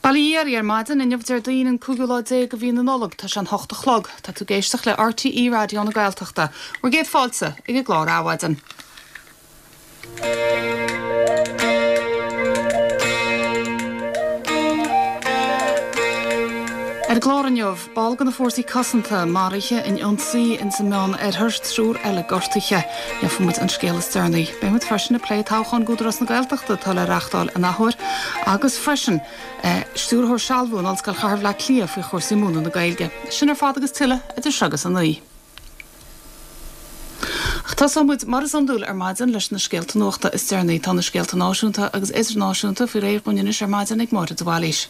Bail ó Dhia oraibh ar maidin, inniu Déardaoin an cúigiú lá déag de mhí na Nollag, tá sé an hocht a chlog. Tá tú ag éisteacht le RTÉ Raidió na Gaeltachta. Bhur gcéad fáilte ag an gclár Adhmhaidin. Ar an gclár inniu, ball de na Fórsaí Cosanta maraithe in ionsaí ins an Meán Oirthear, triúr eile gortaithe. Gheobhaidh muid an scéal is deireanaí. Beidh muid freisin ag plé toghchán d'Údarás na Gaeltachta atá le reachtáil an athuair agus freisin Stiúrthóir Sealbhú in Ollscoil Chathair Bhleá Cliath faoi chúrsaí múineadh na Gaeilge. Sin ar fad agus tuilleadh idir seo agus a 9. Ach tosóidh muid, mar is iondúil ar maidin, leis na scéalta nuachta is deireanaí. Tá na scéalta náisiúnta agus idirnáisiúnta faoi réir dhúinn anois ar maidin ag Máire de Bhailís.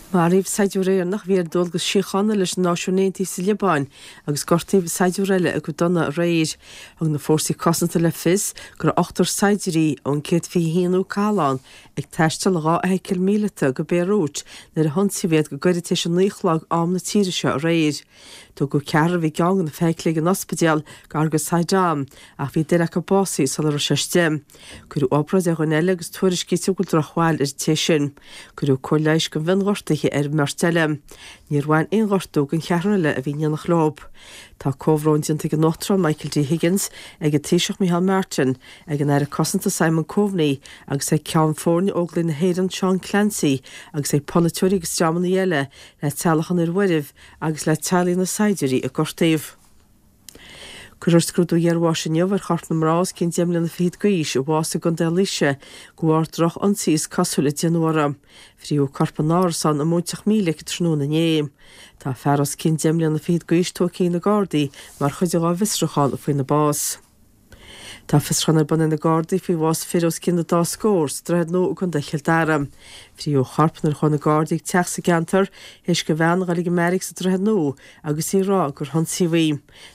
Maraíodh saighdiúir Éireannach a bhí ar dualgas síochána leis na Náisiúin Aontaithe sa Liobáin agus gortaíodh saighdiúir eile go dona aréir. Thug na Fórsaí Cosanta le fios go raibh ochtar saighdiúirí ón 121ú Cathlán ag taisteal i dha fheithicil mhíleata go Béirút nuair a hionsaíodh iad go gairid tar éis a 9 a chlog am na tíre seo aréir. Tugadh ceathrar a bhí i gceann de na feithiclí ag an ospidéal gar go Sidon ach bhí duine acu básaithe sula raibh sé istigh. Cuireadh obráid ar dhuine eile agus tuairiscítear go bhfuil drochbhail ar an té sin. Cuireadh cóir leighis go mionghortuithe ar an mbeirt eile. Níor bhain aon ghortú don cheathrar eile a bhí in éineacht leo. Tá comhbhrón déanta ag an Uachtarán Michael D. Higgins, ag an Taoiseach Micheál Martin, ag an Aire Cosanta Simon Coveney agus ag Ceann Foirne Óglaigh na hÉireann Seán Clancy agus ag polaiteoirí agus dreamanna eile le teaghlach an fhir mhairbh agus le teaghlaigh na saighdiúirí a gortaíodh. Cuirfear scrúdú iarbháis inniu ar chorp na mná os cionn deich mbliana fichead d'aois a bhásaigh i gContae Laoise de bharr droch-ionsaí is cosúil a déanadh uirthi. Frítheadh a corp in árasán i Móinteach Mílic tráthnóna inné. Tá fear os cionn deich mbliana fichead d'aois tógtha ag na Gardaí mar chuid dá bhfiosrúchán faoina bás. Tá fiosrúchán ar bun ag na Gardaí faoi bhás fir os cionn an dá scór sa Droichead Nua i gContae Chill Dara. Frítheadh a chorp nuair a chuaigh na Gardaí ag teach sa gceantar théis do bhean dhul ag an mbeairic sa Droichead Nua agus í ag rá gur hionsaíodh í.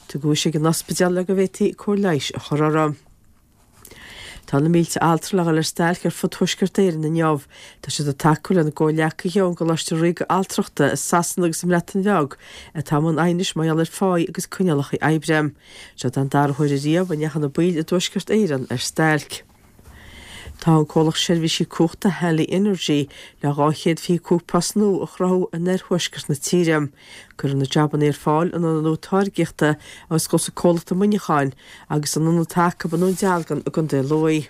Tugadh ise ag an ospidéal le go bhféadfaí cóir leighis a chur uirthi. Tá na mílte altra le dhul ar stailc ar fud Thuaisceart Éireann inniu. Tá siad ag tacú lena gcomhghleacaithe ón gColáiste Ríoga Altrachta i Sasana agus sa mBreatain Bheag atá i mbun aighnis mar gheall ar pháí agus coinníollacha oibre. Seo don dara huair ariamh a ndeachaigh na baill i dTuaisceart Éireann ar stailc. Tá an comhlacht seirbhísí cumhachta Hanley Energy le 225 post nua a chruthú in oirthuaisceart na tíre. Cuirfear na jabanna ar fáil in ionad nua táirgíochta a osclós an comhlacht i Muineachán agus in ionad atá acu i nDún Dealgan i gContae Lú.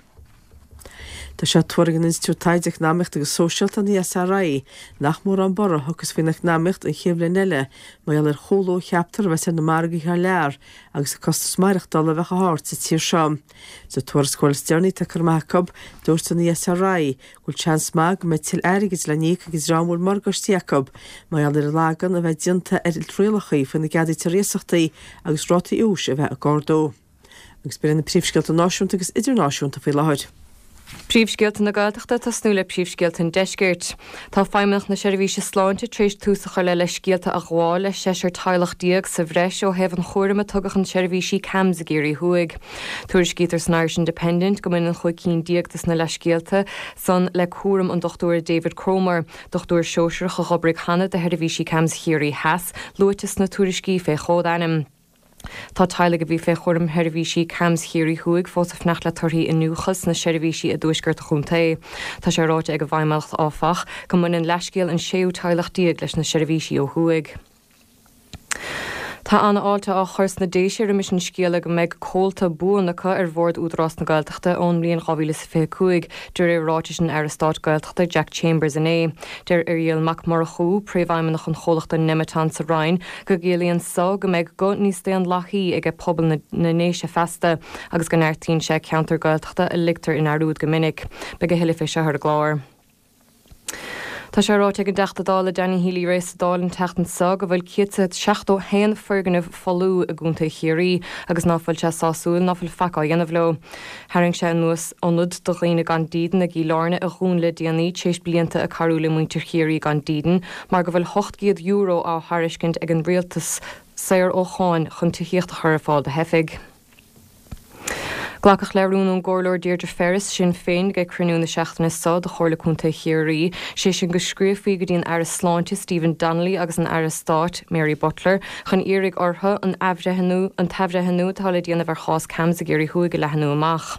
Tá sé tuartha ag an Institiúid Taighde Eacnamaíochta agus Sóisialta, an ESRI, nach mórán borradh a thiocfas faoin eacnamaíocht an chéad bhliain eile mar gheall ar chúlú a cheaptar a bheas ar na margaí thar lear agus an costas maireachtála a bheith chomh hard sa tír seo. Sa tuarascáil is deireanaí atá curtha amach acu, dúirt an ESRI go bhfuil seans maith go mbeidh tuilleadh airgid le n-íoc ag an dream a bhfuil morgáistí acu mar gheall ar an lagan a bheith déanta ar rialacha faoina gceadaítear iasachtaí agus rátaí úis a bheith ag ardú. Agus b'in iad na príomhscéalta náisiúnta agus idirnáisiúnta faoi láthair. Príomhscéalta na Gaeltachta ag tosnú le príomhscéalta an Deiscirt. Tá Feidhmeannacht na Seirbhíse Sláinte tar éis tús a chur le leithscéalta a ghabháil le seisear teaghlach sa bhreis ó thaobh an chúraim a tugadh chun seirbhísí CAMHS i gCiarraí Thuaidh. Tuairiscítear san Irish Independent go mbaineann chúig cinn des na leithscéalta san le cúram an Dochtúra David Cromer, dochtúir sóisearach a dh'oibrigh cheana do sheirbhísí CAMHS Chiarraí Theas, luaite sna tuairiscí fé chód-ainm. Tá teaghlaigh a bhí fé chúram sheirbhísí CAMHS Chiarraí Thuaidh fós ag fanacht le torthaí iniúchadh sna seirbhísí i dtuaisceart an chontae. Tá sé ráite ag an bhFeidhmeannacht, áfach, go mbaineann leathscéal an séú teaghlach leis na seirbhísí ó thuaidh. Tá an-fháilte á chur sna Déise roimis an scéala go mbeidh comhalta buan acu ar Bhord Údarás na Gaeltachta ón mbliain 2025, de réir ráitis an Aire Stáit Gaeltachta Jack Chambers inné. Deir Irial Mac Murchú, Príomhfheidhmeannach an chomhlachta Nemeton sa Rinn, go gciallaíonn so go mbeidh guth níos daonlathaí aige pobal na nDéise feasta agus go neartaíonn sé ceantar Gaeltachta a ligtear i ndearúd go minic. Beidh a thuilleadh fé seo ar an gclár. Tá sé ráite ag an dTeachta Dála Danny Healy-Rae sa Dáil an tseachtain seo go bhfuil 171 foirgneamh folmha i gContae Chiarraí agus ná fuil sé sásúil ná fuil faic á dhéanamh leo. Tharraing sé anuas ionad do dhaoine gan dídean i gCill Airne a dhún le déanaí tréis blianta ag cabhrú le muintir Chiarraí gan dídean mar go bhfuil €800 á thairiscint ag an rialtas saor ó cháin chun tithíocht a chur ar fáil do theifigh. Glacadh le rún ón gComhairleoir Deirdre Ferris, Sinn Féin, ag cruinniú na seachtaine seo de Chomhairle Contae Chiarraí, sé sin go scríobhfaí go dtí an Aire Sláinte Stephen Donnelly agus an Aire Stáit Mary Butler chun iarraidh orthu an athbhreithniú an t-athbhreithniú atá le déanamh ar chás CAMHS i gCiarraí Thuaidh a leathnú amach.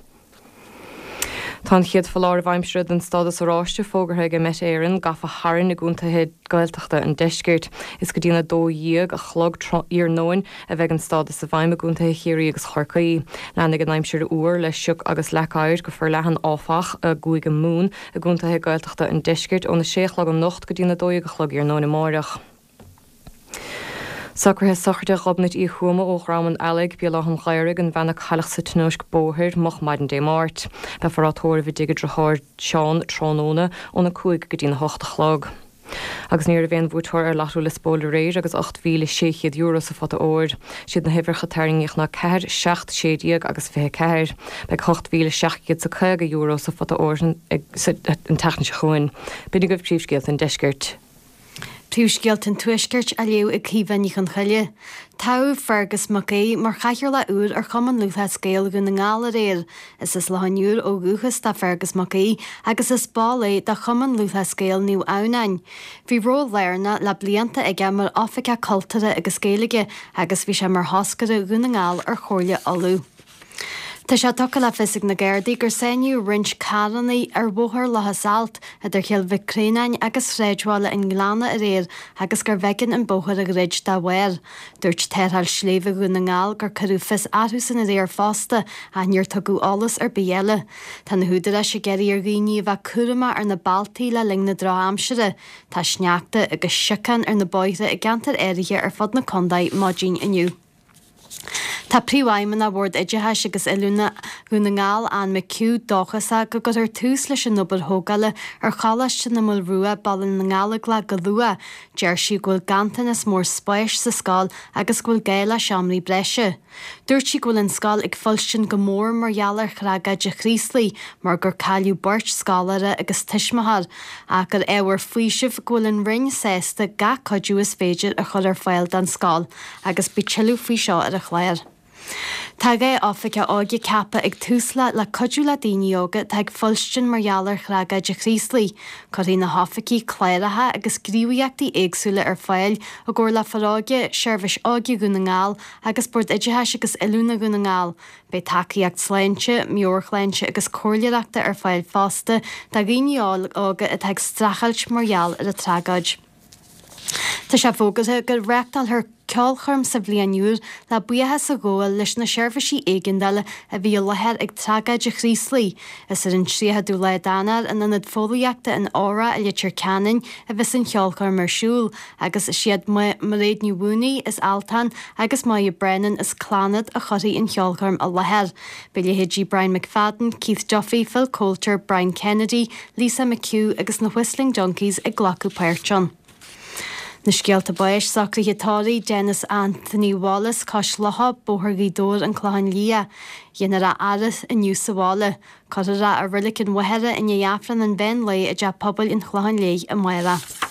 Tá an chéad foláireamh aimsire den stádas oráiste fógartha ag Met Éireann gafa tharainn i gcontaetha Gaeltachta an deiscirt. Is go dtí'n 12 a chlog iarnóin a bheidh an stádas i bhfeidhm i gcontaetha Chiarraí agus Chorcaí. Leanfaidh an aimsir fhuar le sioc agus leac oighir go forleathan áfach i gCúige Mumhan i gcontaetha Gaeltachta an deiscirt óna 6 a chlog anocht go dtí'n 12 a chlog iarnóin amáireach. Socruithe sochraide Ghobnait Uí Thuama ó Dhrom an Eallaigh, Béal Átha an Ghaorthaidh, an bhean a cailleadh sa tionóisc bóthair moch maidin Dé Máirt. Beifear á tórramh i dtigh a driotháir Seán tráthnóna óna 5 go dtína 8 a chlog. Agus ní raibh aon bhuaiteoir ar Lotto Liospóil aréir agus €8,600 sa phota óir. Siad na huimhreacha a tarraingíodh ná 4, 7, 16 agus 24. Beidh €8,750 sa phota óir an tseachtain seo chugainn. B'in agaibh príomhscéalta an deiscirt. Príomhscéalta an Tuaiscirt á léamh ag Caoimhe Ní Chonchoille. Toghadh Fergus Mac Aoidh mar chathaoirleach úr ar Chumann Lúthchleas Gael Dhún na nGall aréir. Is as Loch an Iúir ó dhúchas do Fergus Mac Aoidh agus is ball é de Chumann Lúthchleas Gael Naomh Adhamhnáin. Bhí ról lárnach le blianta aige mar Oifigeach Cultúrtha agus Gaeilge agus bhí sé mar thoscaire Dhún na nGall ar Chomhairle Uladh. Tá sé tugtha le fios ag na Gardaí gur sáinníodh roinnt carranna ar Bhóthar Locha Salt idir Chill Mhic Réanáin agus sráidbhaile an Ghleanna aréir agus gurbh éigean an bóthar a dhruid dá bharr. Dúirt Tarrtháil Sléibhe Dhún na nGall gur cuireadh fios orthusan aréir fosta ach níor tugadh eolas ar bith eile. Tá na húdaráis ag iarraidh ar dhaoine a bheith cúramach ar na bealtaí le linn na drochaimsire. Tá sneachta agus siocán ar na bóithre i gceantair áirithe ar fud na contae maidin inniu. Tá Príomhfheidhmeannach Bhord Oideachais agus Oiliúna Dhún na nGall, Anne McHugh, dóchasach go gcuirfear tús leis an obair thógála ar Choláiste na Maoile Rua, Baile na nGallóglach go luath. Deir sí go bhfuil ganntanas mór spáis sa scoil agus go bhfuil gá le seomraí breise. Dúirt sí go bhfuil an scoil ag fuilstin go mór mar gheall ar thragóid an Chraoslaigh mar gur cailleadh beirt scoláire agus tuismitheoir ach gur ábhar faoisimh go bhfuil an Roinn sásta gach cuidiú is féidir a chur ar fáil don scoil. agus beidh tuilleadh faoi seo ar an chlár. Tá 2 oifigeach óige ceaptha ag Tusla le cuidiú le daoine óga atá ag fuilstin mar gheall ar thragóid an Chraoslaigh. Cuirfidh na hoifigigh cláracha agus gníomhaíochtaí éagsúla ar fáil i gcomhar le Foróige, Seirbhís Óige Dhún na nGall agus Bord Oideachais agus Oiliúna Dhún na nGall. Beidh tacaíocht sláinte, meabhairshláinte agus comhairleoireachta ar fáil fosta do dhaoine óga atá ag streachailt mar gheall ar an tragóid. Tá sé fógartha go reáchtálfar ceolchoirm sa bhliain úr le buíochas a ghabháil leis na seirbhísí éigeandála a bhí i láthair ag tragóid an Chraoslaigh. Is ar an 30ú lá d'Eanáir in Ionad Fóillíochta an Óra i Leitir Ceanainn a bheas an cheolchoirm ar siúl agus is iad Mairéad Ní Mhaonaigh as Altan agus Moya Brennan as Clannad a chuirfidh an cheolchoirm i láthair. Beidh leithéidí Brian McFadden, Keith Duffy, Phil Coulter, Brian Kennedy, Lisa McHugh agus na Whistling Donkeys ag glacadh páirt ann. Na scéalta báis, socruithe tórraimh Denis Anthony Wallace, Cois Locha, Bóthar Ghaoth Dobhair, An Clochán Liath. Déanfar a fhaire inniu sa bhaile. Cuirfear é i Reilig an Mhachaire i ndiaidh Aifreann an mheán lae i dTeach Pobail an Chlocháin Léith amárach.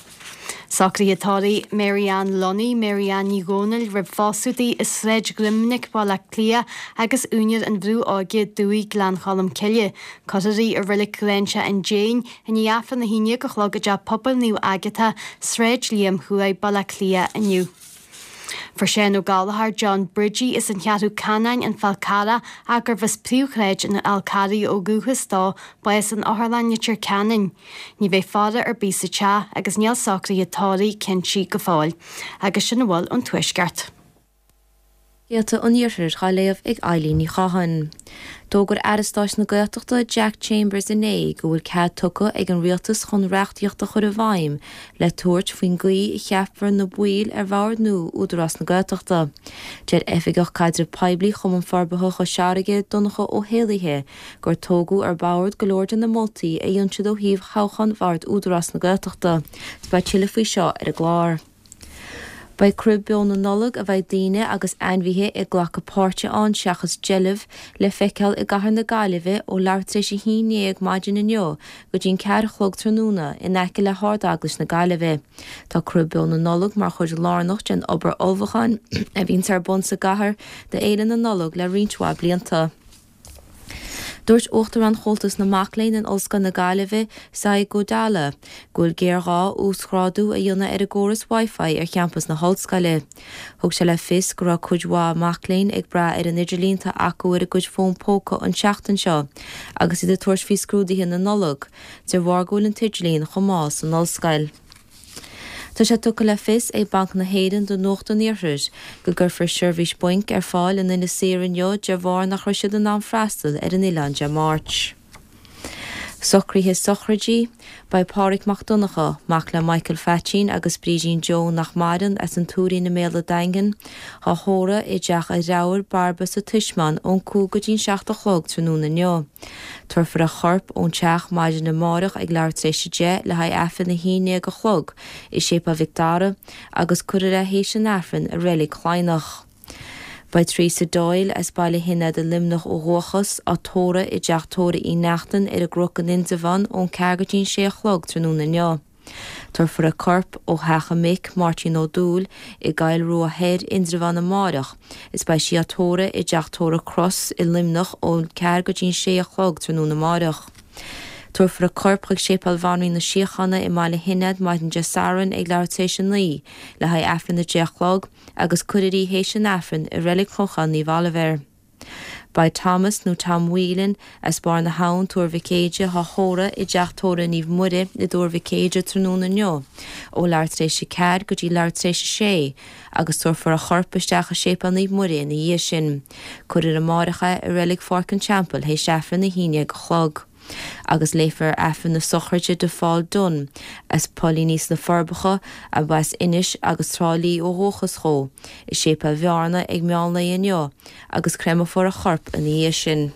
Socruithe tórraimh Mary Ann Lunny, Mary Ann Ní Dhomhnaill roimh phósadh di i Sráid Dhroimnic, Baile Átha Cliath agus úinéir an Bhrú Óige, Dumhaigh Gleann Cholm Cille. Cuirfear í i Reilig Ghráinseach an Déin i ndiaidh Aifreann 11 a chlog i dTeach Pobail Naomh Agatha, Sráid Liam Thuaidh, Baile Átha Cliath inniu. Fuair Seán Ó Gallchóir, John Bridgie, as an Cheathrú Canáin, An Fál Carrach, ach gurbh as príomhshráid an Fháil Carraigh ó dhúchas dó, bás in Otharlann Leitir Ceanainn. Ní bheidh faire ar bith sa teach agus níl socruithe tórraimh cinnte go fóill. Agus sin a bhfuil ón Tuaisceart. Scéalta an Iarthair dhá léamh ag Eilín Ní Chatháin. D'fhógair Aire Stáit na Gaeltachta Jack Chambers inné go bhfuil cead tugtha ag an Rialtas chun reachtaíocht a chur i bhfeidhm le tabhairt faoin gcaoi a cheapfar na baill ar bhord nua Údarás na Gaeltachta. Deir Oifigeach Caidreamh Poiblí Chumann Forbartha Chois Fharraige, Donncha Ó hÉallaithe, gur tógadh ar bord go leor de na moltaí a dhein siad ó thaobh thoghchán Bhord Údarás na Gaeltachta. Beidh tuilleadh faoi seo ar an gclár. Beidh Crib Beo na Nollag, a bheidh daoine agus ainmhithe ag glacadh páirte ann seachas deilbh, le feiceáil i gcathair na Gaillimhe ó leathuair tar éis a 11 maidin inniu go dtí an ceathair a chlog tráthnóna in aice le hArd-Eaglais na Gaillimhe. Tá Crib Beo na Nollag mar chuid lárnach den obair ullmhúcháin a bhíonns ar bun sa gcathair do Fhéile na Nollag le roinnt mhaith blianta. Dúirt Uachtarán Chomhaltas na Mac Léinn in Ollscoil na Gaillimhe, Sai Gudala, go bhfuil géarghá uasghrádú a dhéanamh ar an gcóras Wi-Fi ar champas na hollscoile. Thug sé le fios go raibh cuid mhaith mac léinn ag brath ar an idirlíon atá acu ar a gcuid fón póca an tseachtain seo agus iad ag tabhairt faoi scrúduithe na Nollag, de bharr go bhfuil an t-idirlíon chomh mall san ollscoil. Tá sé tugtha le fios ag Banc na hÉireann do Nuacht an Iarthair go gcuirfear seirbhís bainc ar fáil in Inis Oírr inniu de bharr nach raibh siad in ann freastal ar an oileán Dé Máirt. Socruithe sochraide, Beidh Pádhraic Mac Donncha, mac le Michael Pheaitín agus Brídín Joe nach maireann, as an Tuairín i mBéal a' Daingin, á thórramh i dteach a dhreabhar, Bairbe sa Taismeán ón 5 go dtí'n 7 a chlog tráthnóna inniu. Tabharfar a chorp ón teach maidin amáireach ag leathuair tar éis 10 le haghaidh Aifreann a 11 a chlog i Séipéal Mhic Dara agus cuirfear é théis an Aifrinn i Reilig Chladhnach. Beidh Teresa Doyle as Baile Shionaid i Luimneach ó dhúchas, á tórramh i dteach tórraimh Uí Neachtain ar an gCnoc in Indreabhán ón 4 go dtí'n 6 a chlog tráthnóna inniu. Tabharfar a corp ó theach a mic, Máirtín Ó Dúill, i gCoill Rua Thoir, Indreabhán amáireach is beidh sí á tórramh i dteach tórraimh Cross i Luimneach ón 4 go dtí'n 6 a chlog tráthnóna amáireach. Tabharfar a corp chuig Séipéal Bhanríon na Síochána i mBaile Shionaid maidin Dé Sathairn ag leathuair tar éis a 9 le haghaidh Aifreann a 10 a chlog agus cuirfear í théis an Aifrinn i Reilig Chlocháin Naomh Oilibhéir. Beidh Thomas nó Tom Whelan as Barr na hAbhann, Tuar Mhic Éide, á thórramh i dteach tórraimh Naomh Muire i dTuar Mhic Éide tráthnóna inniu ó leathuair tar éis a 4 go dtí leathuair tar éis a 6 agus tabharfar a chorp isteach i Séipéal Naomh Muire ina dhiaidh sin. Cuirfear amáireach é i Reilig Pháirc an Teampaill théis Aifreann a 11 a chlog. Agus léifear Aifreann na sochraide do Phaul Dunne, as Poilíní sna Forbacha, ab as Inis agus Trá Lí ó dhúchas dhó, i Séipéal Bhearna ag meán lae inniu, agus créamfar a chorp ina dhiaidh sin.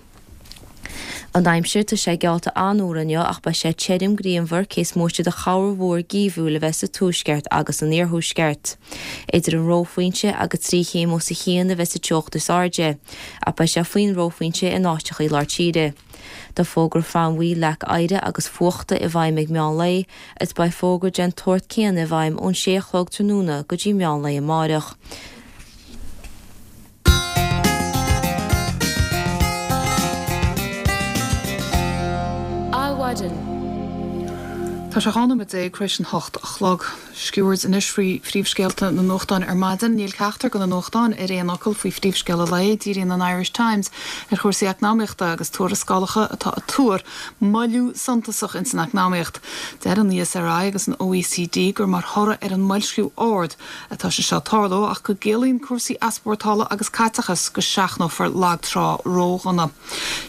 An aimsir, tá sé geallta an-fhuar inniu ach beidh sé tirim grianmhar cé is móite de chorrmhúr geimhriúil a bheith sa tuaisceart agus san iarthuaisceart. Idir an reophointe agus 3 chéim os a chionn a bheas an teocht is airde, ach beidh sé faoin reophointe in áiteachaí lár tíre. Tá fógra flannbhuí leac oighre agus fuachta i bhfeidhm ag meán lae is beidh fógra den tsórt céanna i bhfeidhm ón sé a chlog tráthnóna go dtí meán lae amáireach. Adhmhaidin. Tá sé 12 nóiméad tar éis an 8 a chlog. Sciuird anois faoi phríomhscéalta na nuachtáin ar maidin. Níl ceachtar de na nuachtáin ar aon fhocal faoi phríomhscéal an lae. Díríonn an Irish Times ar chúrsaí eacnamaíochta agus tuarascálacha atá ag tuar moilliú suntasach ins an eacnamaíocht. Deir an ESRI agus an OECD gur mar thoradh ar an mboilsciú ard atá sé seo ag tarlú ach go gciallaíonn cúrsaí easpórtála agus caiteachas go seachnófar lag trá ródhona.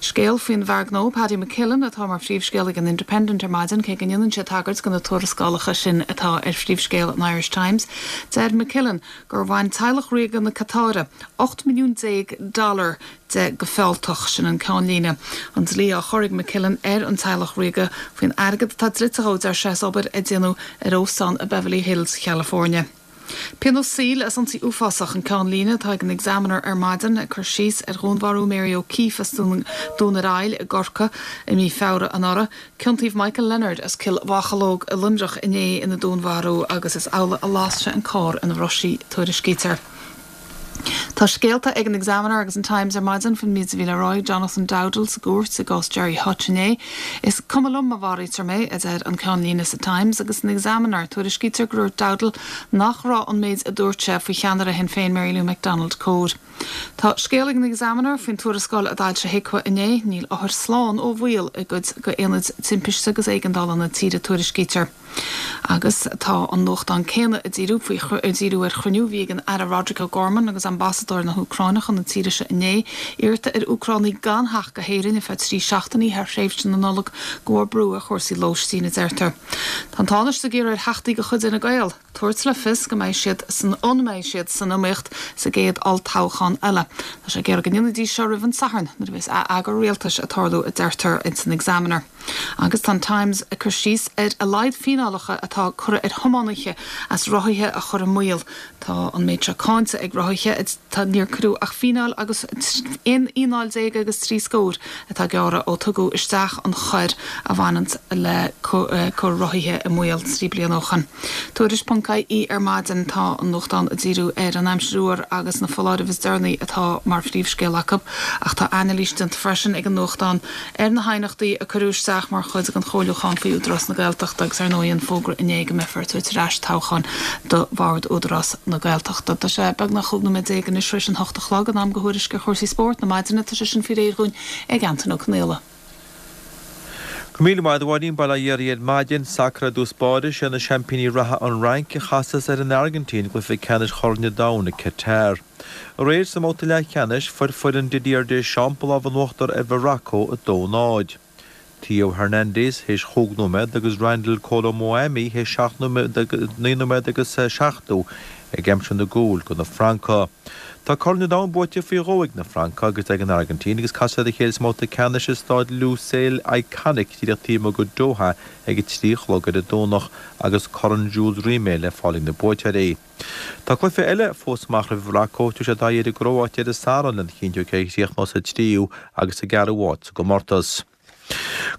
Scéal faoin bhfear gnó Paddy McKillen atá mar phríomhscéal ag an Independent ar maidin, cé go ndéanann sé tagairt do na tuarascálacha sin atá ar phríomhscéal an Irish Times. Deir McKillen gur bhain teaghlach ríoga na Catáire 18 milliún dollar de go fealltach. Sin an ceannlíne. An dlí á chur ag McKillen ar an teaghlach ríoga faoin airgead atá dlite dhó, deir sé, as obair a déanadh ar óstán i Beverly Hills, Chalifornia. Pionós saoil as ionsaí uafásach an ceannlíne atá ag an Examiner ar maidin, ag cur síos ar dhúnmharú Mary O'Keeffe as Dún ar Aill i gCorcaigh i mí Feabhra anuraidh. Ciontaíodh Michael Leonard as Cill Mhocheallóg i Luimneach inné ina dúnmharú agus is amhlaidh a las sé an carr ina raibh sí, tuairiscítear. Tá scéalta ag an Examiner agus an Times ar maidin faoin méid a bhí le rá ag Jonathan Dowdall sa gcúirt i gcás Gerry Hutch inné. Is cuma liom má mharaítear mé, a deir an ceannlíne sa Times agus san Examiner tuairiscítear gur dhúirt Dowdall nach raibh an méid a dúirt sé faoi cheannaire Shinn Féin Mary Lou McDonald cóir. Tá scéal ag an Examiner faoin tuarascáil a d'fhoilsigh HIQA inné, níl othair slán ó bhaol i gcuid d'aonaid timpiste agus éigeandála na tíre, tuairiscítear. Agus tá an nuachtán céanna ag díriú faoi ag díriú ar chruinniú a bhí ag an Aire Roderic O'Gorman agus ambasadóir na hÚcráine chun na tíre seo inné, iarrta ar Úcránaigh gan theacht go hÉirinn ar feadh 3 seachtainí thar thréimhse na Nollag de bharr brú ar chúrsaí lóistín, a deirtear. Tá an Tánaiste ag iarraidh ar theachtaí de chuid Fhine Gael tabhairt le fios go mbeidh siad san an mbeidh siad san iomaíocht sa gcéad olltoghchán eile. Tá sé ag iarraidh go ndéanfaidís seo roimh an Satharn nuair a bheas atheagrú rialtais ag tarlú, a deirtear ins an Examiner. Agus tá an Times ag cur síos ar a laghad fíneálacha atá curtha ar thiománaithe as rothaithe a chur i mbaol. Tá an méid seo cáinte ag rothaithe, tá níor cuireadh ach fíneáil agus aon fhíneáil déag agus 3 scór atá gearrtha ó tugadh isteach an choir a bhaineanns le cur rothaithe i mbaol 3 bliana ó shoin. Tuairisc ponc ie ar maidin tá an nuachtán ag díriú ar an aimsir fhuar agus na foláirimh is deireanaí atá mar phríomhscéal acu ach tá anailís déanta freisin ag an nuachtán ar na haighneachtaí a cuireadh isteach mar chuid den chomhairliúchán faoi Údarás na Gaeltachta agus ar ndóigh an fógra inné go mbeifear ag tabhairt ar ais toghchán do Bhord Údarás na Gaeltachta. Tá sé beagnach 15 nóiméad anois tar éis an hocht a chlog, in am do thuairisc ar chúrsaí spóirt na maidine. Tá sé sin faoi réir dhúinn ag Antain Ó Conaola. Go raibh míle maith agat a Mháirín, bail ó Dhia oraibh ar maidin. Sacar i dtús báire, sé na seaimpíní reatha an Fhrainc a chasas ar an Airgintín i gcluiche ceannais Chorn an Domhain i Qatar. Aréir sa mbabhta leathcheannais, fuair foireann Didier Deschamps an lámh in uachtar ar Mhorocco 2, 0. Theo Hernandez théis chúig nóiméad agus Randal Kolo Muani théis seacht nóiméad, naoi nóiméad agus 70 ag aimsiú na gcúil do na Francaigh. Tá Corn an Domhain buaite faoi dhó ag na Francaigh agus ag an Airgintín agus casfaidh siad a chéile sa mbabhta ceannais i Stáid Lusail Iconic díreach taobh amuigh de Doha ag a 3 a chlog ar an Domhnach agus Corn Jules Rimet le fáil ag na buaiteoirí. Tá cluiche eile fós amach roimh Mhorocco, tabharfaidh siad aghaidh ar an gCróáit ar an Satharn lena chinntiú cé a chríochnós sa tríú agus sa gceathrú háit sa gcomórtas.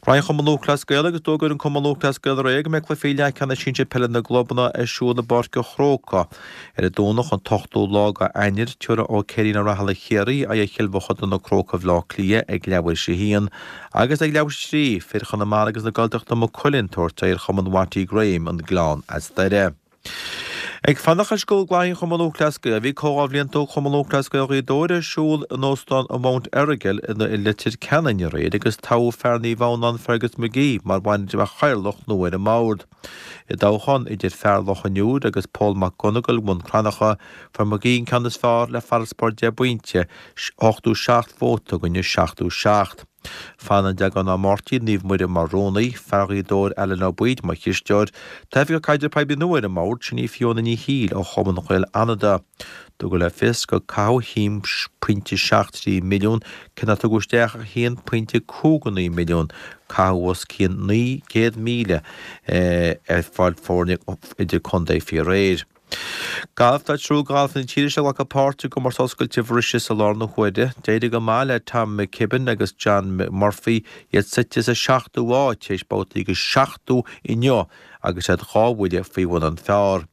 Cluichí an Chumann Lúthchleas Gael agus d'fhógair an Cumann Lúthchleas Gael aréir go mbeidh cluichí leathcheannais sinsir peile na gclubanna ar siúl i bPáirc an Chrócaigh ar an Domhnach an t-ochtú lá d'Eanáir. Tabharfaidh Ó Ceirín Ó Rathaille Chiarraí aghaidh ar Chill Mhochuda Na Crócaigh Bhaile Átha Cliath ag leathuair théis a haon agus ag leathuair théis a 3, fir Chonamara agus na Gaeltachta Maigh Cuilinn ag tabhairt aghaidh ar Chumann Watty Graham, An Gleann as Doire. Ag fanacht leis gcluichí an Chumann Lúthchleas Gael, bhí Comhdháil Bhliantúil Chumann Lúthchleas Gael Ghaoth Dobhair ar siúl in Óstán an Mount Errigal i Leitir Ceanainn aréir agus toghadh fear Naomh Adhamhnáin Fergus McGee mar chathaoirleach nua ar an mbord. I dtoghchán idir fear Loch an Iúir agus Pól Mac Gonigle Bhun Cranncha, fuair McGee an ceann is fearr le farasbarr deich bpointe, 87 vóta i gcoinne 77. Fanann Deaglán Ó Máirtín, Naomh Muire mar rúnaí, fear Ghaoth Dobhair Alan Ó Baoid mar chisteoir, Tá oifigeach caidrimh poiblí nua ar an mbord, sin í Fiona Ní Shiail ó Chumann Ghaeil Fhanada. Tugadh le fios gur caitheadh 1.73 milliún, cé nár tugadh isteach ach 1.59 milliún, caitheadh os cionn 900,000 ar fáil foirne idir contae faoi aréir. Galf Tá triúr galfaithe na tíre seo ag glacadh páirt i gcomórtas oscailte Mhauritius i láthair na huaire. D'éirigh go maith le Tom McKibbin agus John Murphy, iad suite sa seachtú háit tar éis babhtaí go 70 inniu agus iad dhá bhuille faoi bhun an phar.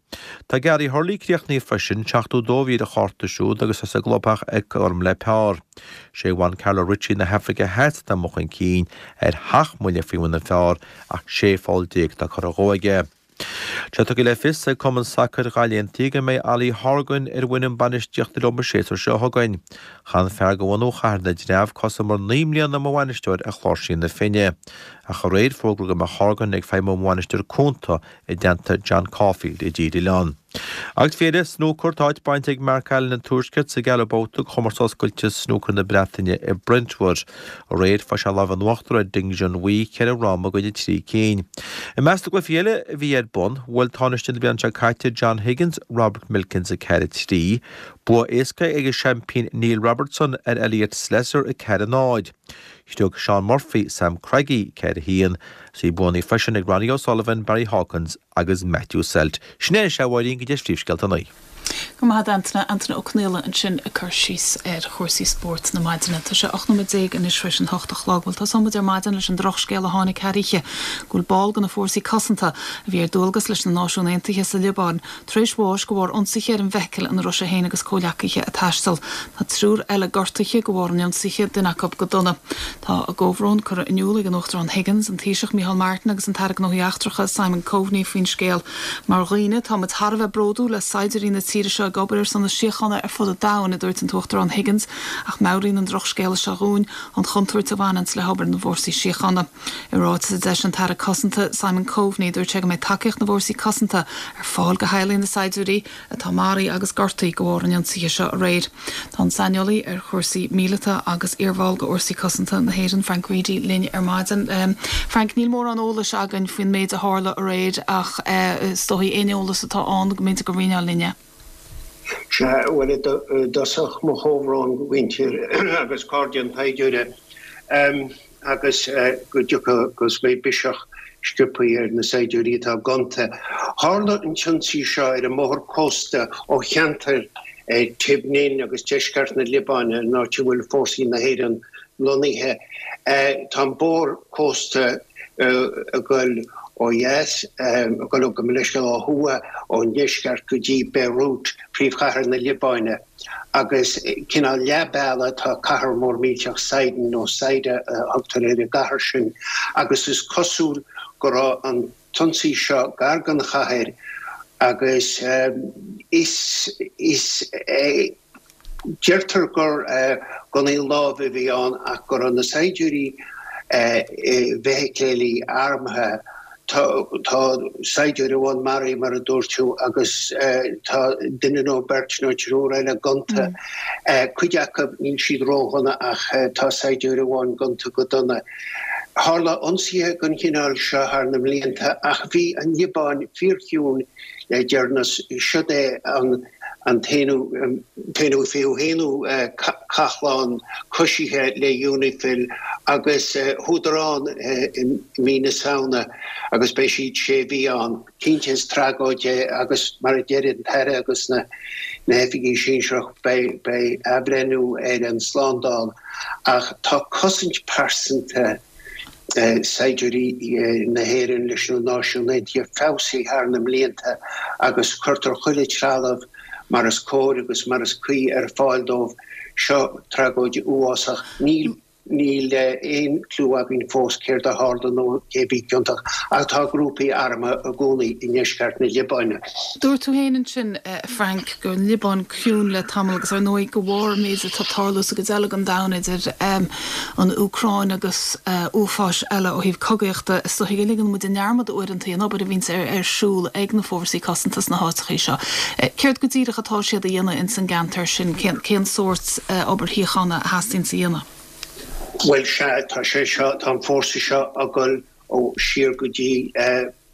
Tá Gary Hurley críochnaithe freisin, 72 a bhí ar a chárta siúd agus é sa gclubtheach ag cothrom le par. Sé Juan Carlo Ritchie na hAfraice Theas atá amuigh chun cinn ar sheacht mbuille faoi bhun an phar ach 16 pholl atá curtha dhó aige. Tá tugtha le fios ag Cumann Sacair Ghaillimh Aontaithe go mbeidh Ollie Horgan ar an bhfoireann bainistíochta leo an séasúr seo chugainn. Chaith an fear de bhunadh Chathair na dTreabh cosamar 9 mbliana mar bhainisteoir ar Chláirsí na Finne. Ach aréir fógraíodh go mbeadh Horgan ag feidhmiú mar bhainisteoir cúnta i dteannta John Caulfield i dTír Oileáin. Agus faoi dheireadh, snúcar, tá áit bainte ag Mark Allen an Tuaiscirt sa gceathrú babhta de chomórtas oscailte snúcair na Breataine i Brentwood. Aréir, fuair sé an lámh in uachtar ar Ding Junhui, 4 fhráma i gcoinne 3 cinn. I measc na gcluichí eile a bhí ar bun, bhuail tánaiste na bliana seo caite John Higgins Robert Milkins 4-3. Bua éasca ag an seaimpín Neil Robertson ar Elliot Slessor 4-0. Shroich Shaun Murphy Sam Craigie 4-1. Bhí buanna freisin ag Ronnie O'Sullivan, Barry Hawkins agus Matthew Selt. Sin é anois, a Mháirín, go dtí phríomhscéalta an lae. Go raibh maith agat, Antaine. Antaine Ó Conaola ansin ag cur síos ar chúrsaí spóirt na maidine. Tá sé 18 nóiméad anois tar éis an hocht a chlog. Bhuel, tosóidh muid ar maidin leis an drochscéal a tháinig thar oíche go bhfuil ball de na fórsaí cosanta a bhí ar dualgas leis na Náisiúin Aontaithe sa Liobáin tar éis bháis de bharr ionsaithe ar an bhfeithicil ina raibh sé féin agus comhghleacaithe ag taisteal. Tá triúr eile gortaithe de bharr an ionsaithe, duine acu go dona. Tá a gcomhbhrón curtha in iúl ag an Uachtarán Higgins, an Taoiseach Micheál Martin agus an tAire Gnóthaí Eachtracha Simon Coveney faoin scéal. Mar dhaoine, tá muid thar a bheith bródúil le saighdiúirí na tíre seo ag obair ar son na síochána ar fud an domhain, a dúirt an tUachtarán Higgins, ach meabhraíonn an drochscéala seo dhúinn an chontúirt a bhaineanns le hobair na bhfórsaí síochána. I ráiteas a d'eisigh an tAire Cosanta, Simon Coveney, dúirt sé go mbeidh tacaíocht na bhFórsaí Cosanta ar fáil do theaghlaigh na saighdiúirí atá maraithe agus gortaithe de bharr an ionsaithe seo aréir. Tá an saineolaí ar chúrsaí míleata agus iarbhall de Fhórsaí Cosanta na hÉireann, Frank Reidy, linn ar maidin. Frank, níl mórán eolais againn faoin méid a tharla aréir ach is dóigh aon eolas atá ann go mb'fhéidir go roinnfeá linn é. Sea, bhuel, i dtosach, mo chomhbhrón do mhuintir agus cairde an tsaighdiúra. agus go dtiocfaidh, go mbeidh biseach sciobtha ar na saighdiúirí atá gonta. Tharla an t-ionsaí seo ar an mbóthar cósta ó cheantar Tibnin agus deisceart na Liobáine, an áit a bhfuil fórsaí na hÉireann lonnaithe. Tá an bóthar cósta ag dul ó dheas, ag dul, gabh mo leithscéal, ó thuaidh ón ndeisceart go dtí Beirut, príomhchathair na Liobáine. Agus cineál leath bealaigh tá cathair mór millteach Sidon nó Saida a thugtar ar an gcathair sin agus is cosúil go raibh an t-ionsaí seo gar don chathair agus is is deirtear gur gunnaí láimhe a bhí ann ach go raibh na saighdiúirí i bhfeithiclí armtha. Tá saighdiúir amháin maraithe, mar a dúirt tú, agus tá duine nó beirt nó triúr eile gonta. Cuid acu, níl siad ródhona ach tá saighdiúir amháin gonta go dona. Tharla ionsaithe den chineál seo thar na mblianta ach bhí an Liobáin fíorchiúin le deireanas. Siod é an an t-aonú, t-aonú fichiú haonú cathlán coisithe le UNIFIL agus chuadar ann i mí na Samhna agus beidh siad sé mhí ann. Cinnte is tragóid é agus mar a deir an tAire agus na hoifigigh sinsearach beidh beidh athbhreithniú ar an slándáil ach tá cosaint pearsanta saighdiúirí na hÉireann leis na Náisiúin Aontaithe feabhsaithe thar na mblianta agus cuirtear chuile trealamh mar is cóir agus mar is cuí ar fáil dóibh. Seo tragóid uafásach. Níl níl aon clú againn fós céard a tharla nó cé a bhí ciontach ach tá grúpaí armtha i gcónaí i ndeisceart na Liobáine. Dúirt tú féin ansin, a Frank, go raibh an Liobáin ciúin le tamall agus ar ndóigh de bharr an méid atá ag tarlú sa gcuid eile den domhan idir an Úcráin agus uafáis eile ó thaobh cogaíochta, is dóiche go ligeann muid i ndearmad uaireanta an obair a bhíonns ar siúl ag na fórsaí cosanta sna háiteachaí seo. Céard go díreach atá siad a dhéanamh ins an gceantar sin? Cén sórt obair shíochána a theastaíonns a dhéanamh? Bhuel, sea, tá sé seo, tá an fórsa seo ag dul ó siar go dtí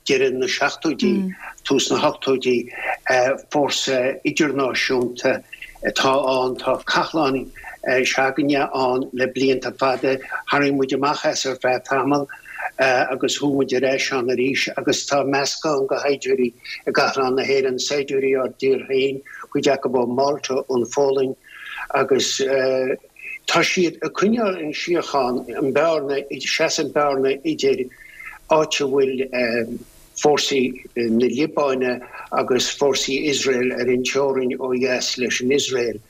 deireadh na seachtóidí, tús na hochtóidí, fórsa idirnáisiúnta atá ann. Tá cathlán s'againne ann le blianta fada. Tharraing muid amach as ar feadh tamaill agus chuaigh muid ar ais ann arís agus tá meascán de shaighdiúirí i gcathlán na hÉireann, saighdiúirí ár dtír féin, cuid acu ó Mhálta, ón Pholainn agus. Tá siad ag coinneáil an síochán, an bearna, seasann bearna idir áit a bhfuil fórsaí na Liobáine agus fórsaí Iosrael ar an teorainn ó dheas leis an Iosrael.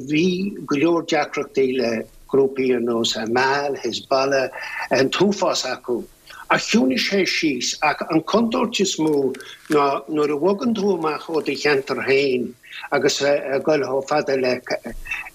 Bhí go leor deacrachtaí le grúpaí ar nós Amal, Hezbollah, an t-uafás acu. Ach chiúnaigh sé síos. Ach an chontúirt is mó ná nuair a bhogann tú amach ó do cheantar féin agus ag dul chomh fada le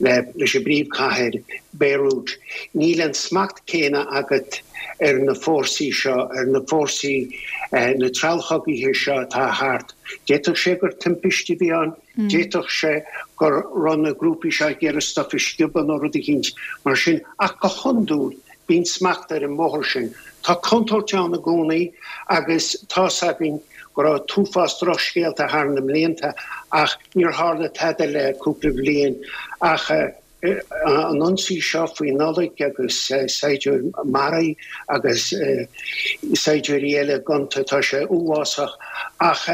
leis an bpríomhchathair, Beirut, níl an smacht céanna agat ar na fórsaí seo, ar na fórsaí, na treallchogaithe seo atá thart. D'fhéadfadh sé gur timpiste a bhí ann, d'fhéadfadh sé go raibh na grúpaí seo ag iarraidh stuif a sciobadh nó rud eicínt mar sin, ach go hiondúil, Bíonn smacht ar an mbóthar sin. Tá contúirt ann i gcónaí agus tá's againn go raibh t-uafás drochscéalta thar na mblianta ach níor tharla tada le cúpla bliain ach an ionsaí seo faoi Nollaig agus saighdiúir maraithe agus saighdiúirí eile gonta, tá sé uafásach ach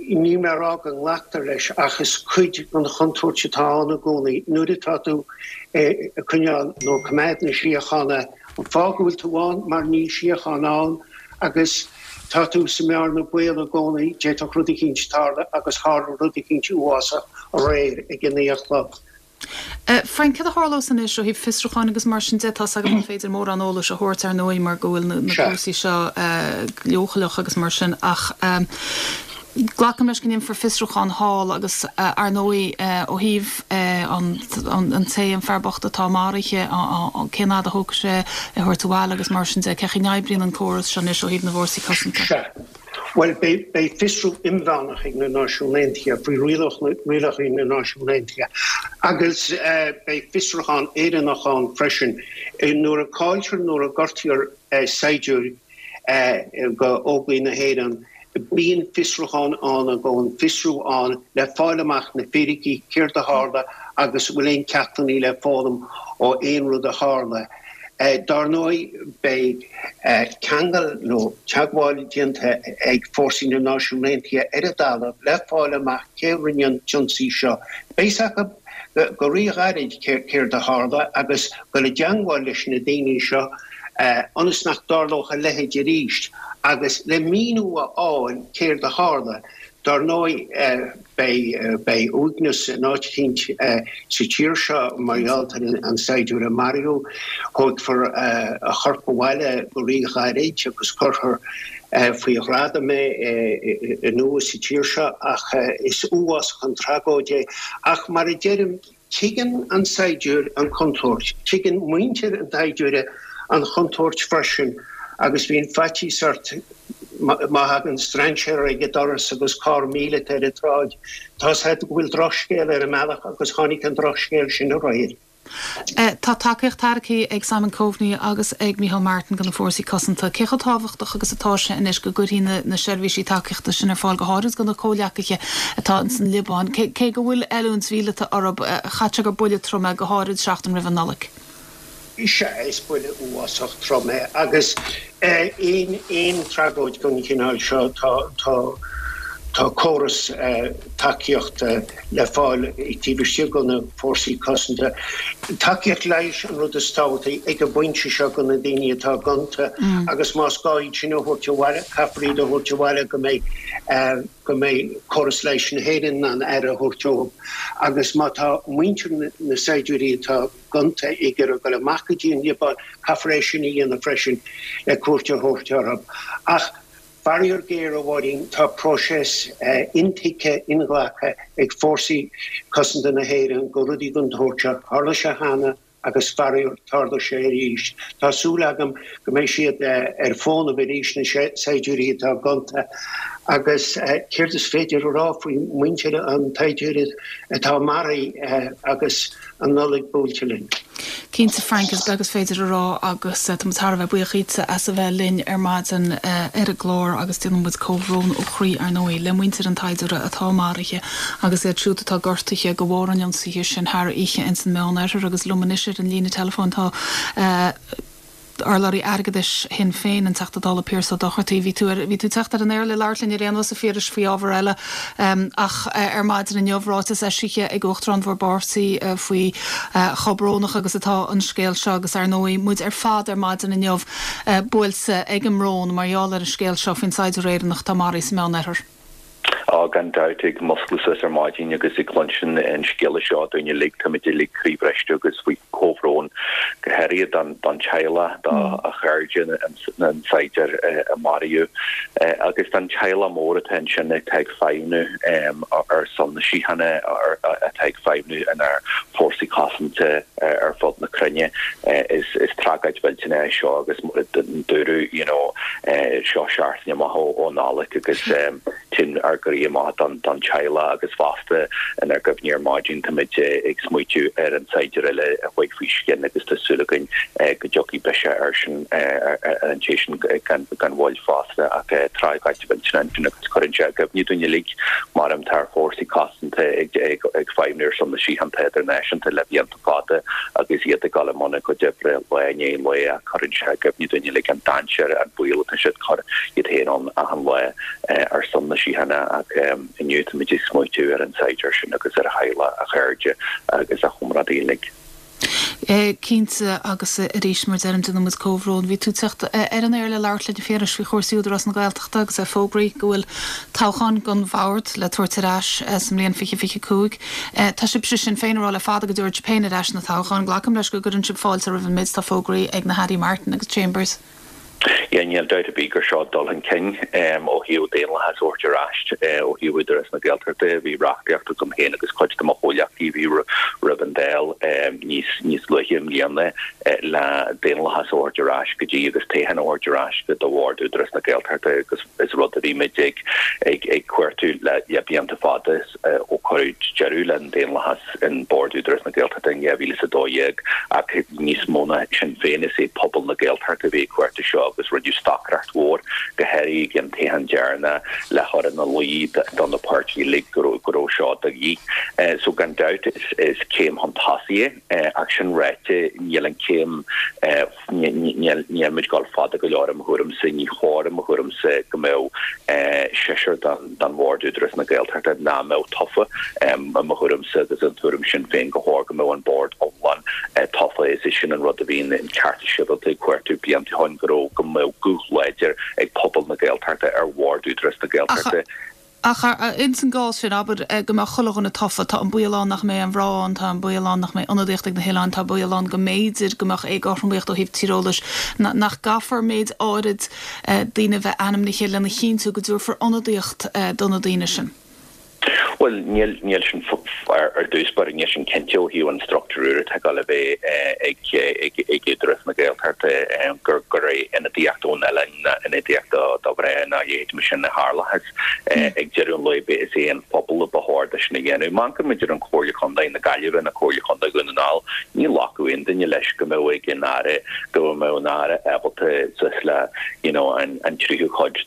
Níl mé a rá go nglactar leis ach is cuid den chontúirt atá ann i gcónaí nuair atá tú ag coinneáil nó ag coimeád na síochána, an fáth go bhfuil tú ann mar níl síocháin ann agus tá tú sa mbearna baol i gcónaí, d'fhéadfadh rud eicínt tarlú agus tharla rud eicínt uafásach aréir ag a naoi a chlog. Frank, céard a tharlós anois ó thaobh fiosrúcháin agus mar sin de? Tá's agam nach féidir mórán eolais a thabhairt, ar ndóigh, mar go bhfuil na cúrsaí seo leochaileach agus mar sin, ach glacaim leis go ndéanfar fiosrúchán thall agus, ar ndóigh, ó thaobh an té, an fear bocht atá maraithe, cén fhad a thógfaidh sé é a thabhairt abhaile agus mar sin de. Cén chaoi a n-oibríonn an córas seo anois ó thaobh na bhfórsaí cosanta? Bhuel, beidh fiosrú inmheánach ag na Náisiúin Aontaithe faoi rialacha na Náisiún Aontaithe agus beidh fiosrúchán Éireannach ann freisin. Nuair a cailltear, nuair a gortaítear saighdiúir d'Óglaigh na hÉireann, bíonn fiosrúchán ann i gcónaí, fiosrú ann le fáil amach na fíricí, céard a tharla agus an bhfuil aon ceachtanna le foghlaim ó aon rud a tharla. Dár ndóigh, beidh ceangal nó teagmháil déanta ag fórsaí na Náisiún Aontaithe ar an dtalamh le fáil amach cé a rinne an t-ionsaí seo. Beidh 's acu go ríghairid céard a tharla agus dul i dteangmháil leis na daoine seo ionas nach dtarlódh a leithéid arís agus le míniú a fháil céard a tharla. Dár ndóigh, beidh uaigneas in áit eicínt sa tír seo mar gheall ar an saighdiúir a maraíodh. Tógfar a chorp abhaile go ríghairid agus cuirfear faoi ghradam é anuas sa tír seo ach is uafásach an tragóid é. Ach mar a deirim, Tuigeann an saighdiúir an chontúirt, tuigeann muintir an tsaighdiúra an chontúirt freisin agus bíonn faitíos ort má thagann strainséir ag an doras agus carr míleata ar an tsráid, tá's agat go bhfuil drochscéal ar an mbealach agus tháinig an drochscéal sin aréir. Tá tacaíocht tairgthe ag Simon Coveney agus ag Micheál Martin do na fórsaí cosanta. Cé chomh tábhachtach agus atá sé anois go gcuirfí na seirbhísí tacaíochta sin ar fáil, go háirid do na comhghleacaithe atá ins an Liobáin? Cé go bhfuil oiliúint mhíleata orthu, chaithfeadh sé gur buille trom é, go háirid seachtain roimh an Nollaig. Sea, is buille uafásach trom é agus aon tragóid den chineál seo, tá córas tacaíochta le fáil taobh istigh de na fórsaí cosanta. Tacaíocht leighis an rud is tábhachtaí ag an bpointe seo do na daoine atá gonta agus más gá iad sin a thabhairt abhaile, caithfear iad a thabhairt abhaile go mbeidh go mbeidh córas leighis na hÉireann in ann aire a thabhairt dóibh. Agus má tá muintir na saighdiúirí atá gonta ag iarraidh dul amach go dtí an Liobáin, caithfear é sin a dhéanamh freisin le cuairt a thabhairt orthu. Ach Faraor géar, a Mháirín, tá próiseas intuigthe, inghlactha ag Fórsaí Cosanta na hÉireann do rudaí den tsórt seo. Tharla sé cheana agus faraor, tarlóidh sé arís. Tá súil agam go mbeidh siad ar fónamh arís, na saighdiúirí atá gonta. Agus céard is féidir a rá faoi mhuintir an tsaighdiúra atá maraithe agus an Nollaig buailte linn. Cinnte, Frank, is beag is féidir a rá agus tá muid thar a bheith buíoch dhíotsa as a bheith linn ar maidin ar an gclár agus déanann muid comhbhrón ó chroí, ar ndóigh, le muintir an tsaighdiúra atá maraithe agus iad siúd atá gortaithe de bharr an ionsaithe sin thar oíche ins an Meán-Oirthear agus liom anois ar an líne teileafóin tá Urlabhraí Airgeadais Shinn Féin, an Teachta Dála Pearse Ó Dochartaigh. Bhí tú ar, bhí tú ag teacht ar an aer le labhairt linn ar aon nós, a Phiarais, faoi ábhar eile ach ar maidin inniu, ráiteas eisithe ag Uachtarán bhur bpáirtí faoi chomh brónach agus atá an scéal seo agus ar ndóigh muid ar fad ar maidin inniu buailte ag an mbrón mar gheall ar an scéal seo faoin saighdiúir Éireannach atá maraithe sa Meán-Oirthear. Á, gan dabht, ag muscladh suas ar maidin agus ag cluinstin an scéala seo dúinn uilig, táimid uilig croíbhriste agus faoi chomhbhrón, go háirithe don teaghlach, do chairde an tsaighdiúir a maraíodh, agus don teaghlach mór atá ansin atá ag feidhmniú ar son na síochána, atá ag feidhmniú inár bhfórsaí cosanta ar fud na cruinne. Is tragóid mhillteanach é seo agus mar a dúradh, you know, seo seachtain amach ó Nollaig agus téann ár gcroí amach don teaghlach agus fosta inár gcuimhní ar maidin táimid ag smaoitiú ar an saighdiúir eile a chuaigh faoi scian agus tá súil againn go dtiocfaidh biseach air sin ar an té sin gan mhoill fosta ach tragóid mhillteanach ansin agus cuireann sé i gcuimhne dúinn uilig mar tá ár bhfórsaí cosanta ag feidhmniú ar son na síochána idirnáisiúnta le blianta fada agus iad ag dul i mbun a gcuid oibre lá i ndiaidh lae ach cuireann sé i gcuimhne dúinn uilig an dainséar, an baol atá siad ag cur iad féin ann achan lá ar son na síochána ach inniu táimid ag smaoitiú ar an saighdiúir sin agus ar a theaghlach, a chairde agus a chomrádaithe uilig. Cinnte, agus arís, mar a deirim, déanann muid comhbhrón. Bhí tú ag teacht ar an aer le labhairt linn, a Phiarais, faoi chúrsaí Údarás na Gaeltachta agus é fógraithe go bhfuil toghchán don bhord le tabhairt ar ais sa mbliain 2025. Tá sibhse, Sinn Féin, ag rá le fada go dtabharfaidh sibh féin ar ais na toghcháin. Glacaim leis go gcuireann sibh fáilte roimh an méid atá fógraithe ag na hAirí Martin agus Chambers. Yeah, níl dabht ar bith gur seo dul chun cinn ó thaobh daonlathas a thabhairt ar ais ó thaobh Údarás na Gaeltachta. Bhí reachtaíocht agam féin agus cuid de mo chomhghleacaithe a bhí roimh an Dáil níos níos luaithe i mbliana le daonlathas a thabhairt ar ais go dtí agus toghchán a thabhairt ar ais do Bhord Údarás na Gaeltachta agus is rud a bhí muid ag ag ag cuartú le le blianta fada. ó cuireadh deireadh le an daonlathas in Bord Údarás na Gaeltachta in 2012 ach níos mó ná sin féin is é pobal na Gaeltachta a bhí ag cuartú seo. agus rinneadh stocaireacht mhór, go háirithe ag an toghchán deireanach, le chur ina luí do na páirtithe uilig go raibh go raibh seo de dhíth. So gan dabht is céim chun tosaigh é ach sin ráite níl an céim Níl muid ag dul fada go leor i mo thuairimse. Ní chóir i mo thuairimse go mbeadh seisear den Bhord Údarás na Gaeltachta nach mbeadh tofa. I mo thuairimse agus an tuairim sin féin go chóir go mbeadh an Bord iomlán tofa. Is é sin an rud a bhíonn an Ceartas Sibhialta ag cuartú blianta ó shin go raibh go mbeadh guth láidir ag pobal na Gaeltachta ar Bhord Údarás na Gaeltachta. Ach ins an gcás sin, abair go mbeadh chuile dhuine tofa, tá an baol ann nach mbeidh aon mhná ann, tá an baol ann nach mbeidh ionadaíocht ag na hoileáin, tá baol ann go mb'fhéidir go mbeadh éagothromaíocht ó thaobh tíreolais, nach gcaithfear méid áirid daoine a bheith ainmnithe lena chinntiú go dtabharfar ionadaíocht do na daoine sin? Bhuel, níl, níl sin, ar dtús báire, níl sin cinnte ó thaobh an struchtúr úr atá ag dul a bheith ag, ag, ag Údarás na Gaeltachta gur, gur é ionadaíocht ón oileán ná ionadaíocht do mhná ná a leithéid mar sin a tharlóchas. Ag deireadh an lae is é an phobal a ba chóir dó sin a dhéanamh. Má amharcann muid ar an Chomhairle Contae na Gaillimhe nó Comhairle Contae Dhún na nGall, ní ghlacfadh aon duine leis go mbeadh ag an Aire, go mbeadh an Aire ábalta suas le you know an tríú cuid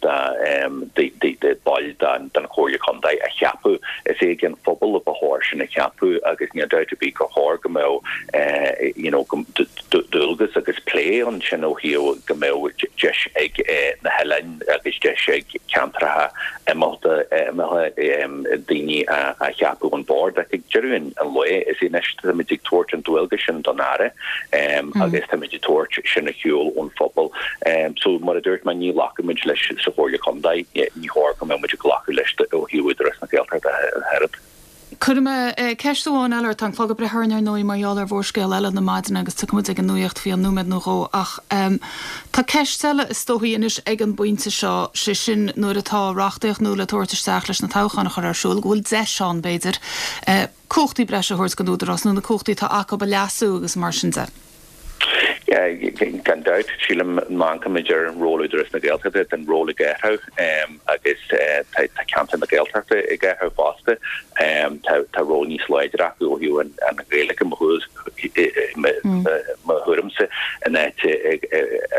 de de baill den Chomhairle Contae a cheapadh. Is é ag an phobal a ba chóir sin a cheapadh agus níl dabht ar bith gur chóir go mbeadh you know go dualgas agus plé ansin ó thaobh go mbeadh deis ag na hoileáin agus deis ag ceantracha imeallaithe daoine a cheapadh ón bord. Ach ag deireadh an lae, is é anois táimid ag tabhairt an dualgas sin don Aire agus táimid ag tabhairt sin ar shiúl ón phobal. So mar a dúirt mé, ní ghlacfaimid leis sa Chomhairle Contae, ní chóir go mbeadh muid ag glacadh leis ó thaobh Údarás na Gaeltachta ach oiread. Cuirfidh mé ceist amháin eile ort. Tá an clog ag breith orainn ar ndóigh mar gheall ar mhórscéal eile na maidine agus tiocfaidh muid ag an nuaíocht faoi cheann nóiméad nó dhó ach tá ceist eile is dóichí anois ag an bpointe seo, sé sin nuair atá reachtaíocht nua le tabhairt isteach leis na toghcháin a chur ar siúl, go bhfuil deis ann b'fhéidir cumhachtaí breise a thabhairt don Údarás nó na cumhachtaí atá acu a leasú agus mar sin de. Gan dabht, sílim, má amharcaimid ar ról Údarás na Gaeltachta, tá an ról ag athrú agus tá ceantar na Gaeltachta ag athrú fosta. Tá ról níos láidre acu ó thaobh an Ghaeilge, mo thuairimse, in áit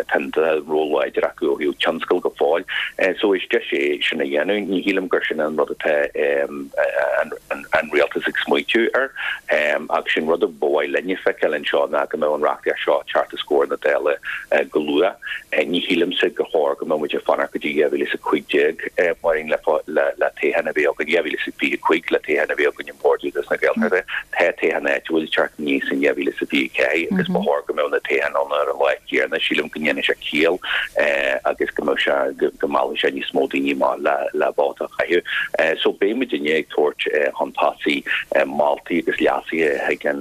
tá ról láidir acu ó thaobh tionscal go fóill. So is deis é sin a dhéanamh. Ní shílim gur sin an rud atá an rialtas ag smaoitiú air. Ach sin rud a ba mhaith linne feiceáil anseo ná go mbeadh an reachtaíocht seo ag teacht os comhair na Dála go luath. Ní shílimse gur chóir go mbeadh muid ag fanacht go dtí 2015 Máirín le le toghchán a bheith againn, 2025 le toghchán a bheith againn ar Bhord Údarás na Gaeltachta. Tá toghchán áitiúil ag teacht aníos in 2024 agus ba chóir go mbeadh na toghcháin ann ar an lá céanna. Sílim go ndéanfaidh sé ciall agus go mbeadh sé go meallfaidh sé níos mó daoine amach le le vóta a chaitheamh. So beidh muidinne ag tabhairt chun tosaigh moltaí agus leasuithe chuig an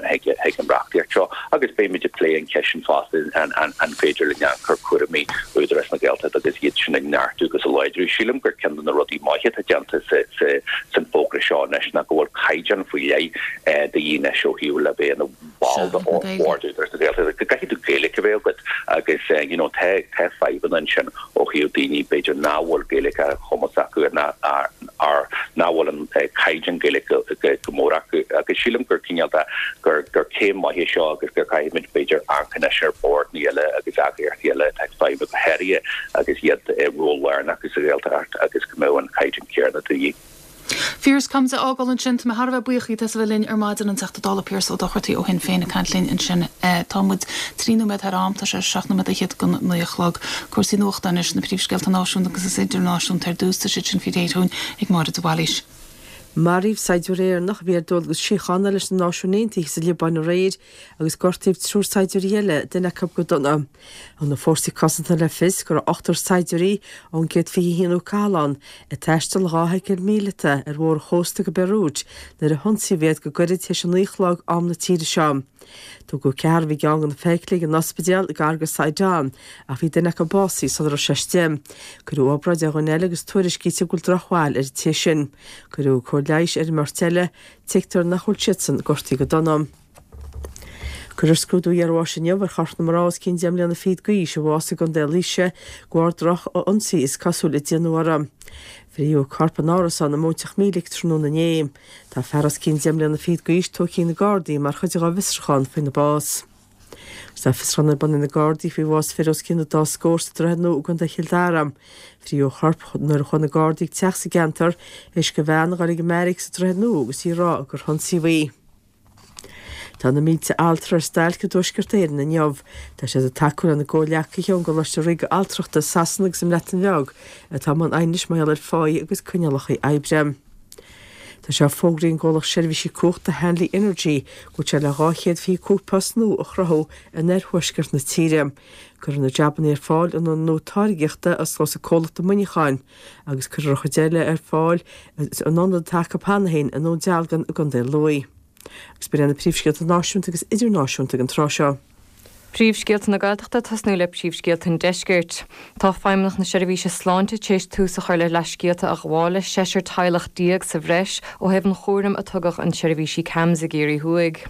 chuig an reachtaíocht seo agus beidh muid ag plé an cheist sin fosta an an féidir linn amharc ar chúraimí Údarás na Gaeltachta agus iad sin a neartú agus a láidriú. Sílim gur ceann de na rudaí maithe atá déanta sa sa san fógra seo anois ná go bhfuil caighdeán faoi leith de dhíth anois ó thaobh le bheith ina ball de Bhord Údarás na Gaeltachta, go gcaithfidh tú Gaeilge a bheith agat agus you know tá tá fadhbanna ansin ó thaobh daoine b'fhéidir nach bhfuil Gaeilge ar chumas acu ná ar nach bhfuil an caighdeán Gaeilge go mór acu agus sílim gur cineál de gur gur céim maith é seo agus gur caithfimid b'fhéidir amharc anois ar bhordanna eile agus eagraíochtaí eile atá ag feidhmiú go háirithe agus iad ról lárnach sa Ghaeltacht agus go mbeadh an caighdeán céanna de dhíth. Phiarse, caithfimid a fhágáil ansin. Tá mé thar a bheith buíoch díot as a bheith linn ar maidin, an Teachta Dála Pearse Ó Dochartaigh ó Shinn Féin ag caint linn ansin. Tá muid 3 nóiméad thar am, tá sé 7 nóiméad fhichead don 9 a chlog. Cúrsaí nuachta anois, na príomhscéalta náisiúnta agus idirnáisiúnta ar dtús, tá siad sin faoi réir dhúinn ag Máire de Bhailís. Maraíodh saighdiúir Éireannach a bhí ar dualgas síochána leis na Náisiúin Aontaithe sa Liobáin aréir agus gortaíodh triúr saighdiúirí eile, duine acu go dona. Thug na Fórsaí Cosanta le fios go raibh ochtar saighdiúirí ón 121ú Cathlán ag taisteal i dhá fheithicil mhíleata ar bhóthar an chósta go Beirut nuair a hionsaíodh iad go gairid tar éis a naoi a chlog am na tíre seo. Tugadh ceathrar a bhí i gceann de na feithiclí ag an ospidéal gar go Sidon ach bhí duine acu básaithe sula raibh sé istigh. Cuireadh obráid ar dhuine eile agus tuairiscítear go bhfuil drochbhail ar an té sin. Cuireadh cóir leighis ar an mbeirt eile. Tuigtear nach bhfuil siadsan gortaithe go dona. Cuirfear scrúdú iarbháis inniu ar chorp na mná os cionn deich mbliana fichead d'aois a bhásaigh i gContae Laoise de bharr droch-ionsaí is cosúil a déanadh uirthi. Frítheadh a corp in árasán i Móinteach Mílic tráthnóna inné. Tá fear os cionn deich mbliana fichead d'aois tógtha ag na Gardaí mar chuid dá bhfiosrúchán faoina bás. Tá fiosrúchán ar bun ag na Gardaí faoi bhás fir os cionn an dá scór sa Droichead Nua i gContae Chill Dara. Frítheadh a chorp nuair a chuaigh na Gardaí ag teach sa gceantar théis do bhean a dhul ag an mbeairic sa Droichead Nua agus í ag rá gur hionsaíodh í. Tá na mílte altra ar stailc i dTuaisceart Éireann inniu. Tá siad ag tacú lena gcomhghleacaithe ón gColáiste Ríoga Altrachta i Sasana agus sa mBreatain Bheag atá i mbun aighnis mar gheall ar pháí agus coinníollacha oibre. Tá sé fógraithe ag an gcomhlacht seirbhísí cumhachta Hanley Energy go bhfuil sé le 225 post nua a chruthú in oirthuaisceart na tíre. Cuirfear na jabanna ar fáil in ionad nua táirgeachta a osclós an comhlacht i Muineachán agus cuirfear an chuid eile ar fáil in ionad atá acu cheana féin i nDún Dealgan i gContae Lú. Agus b'in iad na príomhscéalta náisiúnta agus idirnáisiúnta ag an tráth seo. Príomhscéalta na Gaeltachta ag tosnú le príomhscéalta an Deiscirt. Tá Feidhmeannacht na Seirbhíse Sláinte tar éis tús a chur le leithscéalta a ghabháil le seisear teaghlach sa bhreis ó thaobh an chúraim a tugadh an seirbhísí CAMHS i gCiarraí Thuaidh.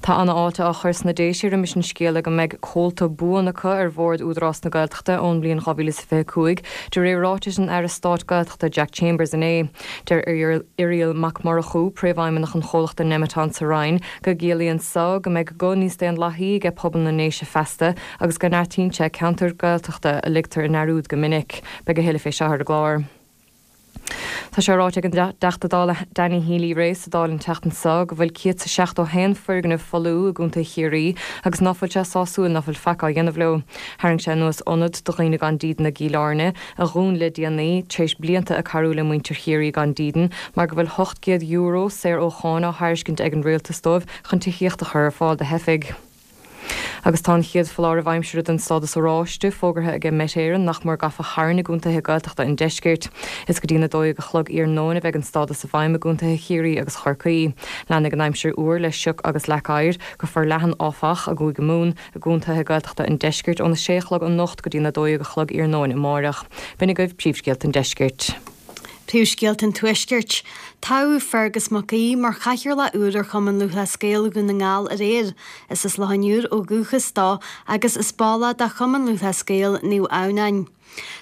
Tá ana-fháilte á chur sna Déise roimis an scéala go mbeidh comhalta buan acu ar bhord Údarás na Gaeltachta ón mbliain 2025, de réir ráitis an Aire Stáit Gaeltachta Jack Chambers inné. Deir Irial Mac Murchú, Príomhfheidhmeannach an chomhlachta Nemeton sa Rinn, go gciallaíonn so go mbeidh guth níos daonlathaí aige pobal na nDéise feasta agus go neartaíonn sé ceantair Gaeltachta a ligtear i ndearúd go minic. Beidh a thuilleadh fé seo ar an gclár. Tá sé ráite ag an dTeachta Dála Danny Healy-Rae sa Dáil an tseachtain seo go bhfuil 171 foirgneamh folmha i gContae Chiarraí agus ná fuil sé sásúil ná fuil faic á dhéanamh leo. Tharraing sé anuas ionad do dhaoine gan dídean i gCill Airne, a dhún le déanaí, tar éis blianta ag cabhrú le muintir Chiarraí gan dídean, mar go bhfuil €800 saor ó cháin á thairiscint ag an rialtas dóibh chun tithíocht a chur ar fáil do theifigh. Agus tá an chéad foláireamh aimsire den stádas oráiste fógartha aige Met Éireann nach mór gafa tharainn i gcontaetha Gaeltachta an deiscirt. Is go dtí'n 12 a chlog iarnóin a bheidh an stádas i bhfeidhm i gcontaetha Chiarraí agus Chorcaí. Leanfaidh an aimsir fhuar le sioc agus leac oighir, go forleathan áfach, i gCúige Mumhan, i gcontaetha Gaeltachta an deiscirt óna 6 a chlog anocht go dtí'n 12 a chlog iarnóin amáireach. B'in agaibh príomhscéalta an deiscirt. Príomhscéalta an Tuaiscirt. Toghadh Fergus Mac Aoidh mar chathaoirleach úr ar Chumann Lúthchleas Gael Dhún na nGall aréir. Is as Loch an Iúir ó dhúchas dó agus is ball é de Chumann Lúthchleas Gael Naomh Adhamhnáin.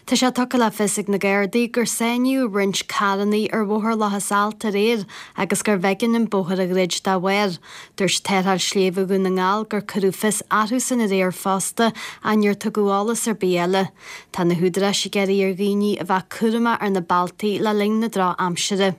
Tá sé tugtha le fios ag na Gardaí gur sáinníodh roinnt carranna ar Bhóthar Locha Salt aréir agus gurbh éigean an bóthar a dhruid dá bharr. Dúirt Tarrtháil Sléibhe Dhún na nGall gur cuireadh fios orthusan aréir fosta ach níor tugadh eolas ar bith eile. Tá na húdaráis ag iarraidh ar dhaoine a bheith cúramach ar na bealtaí le linn na drochaimsire.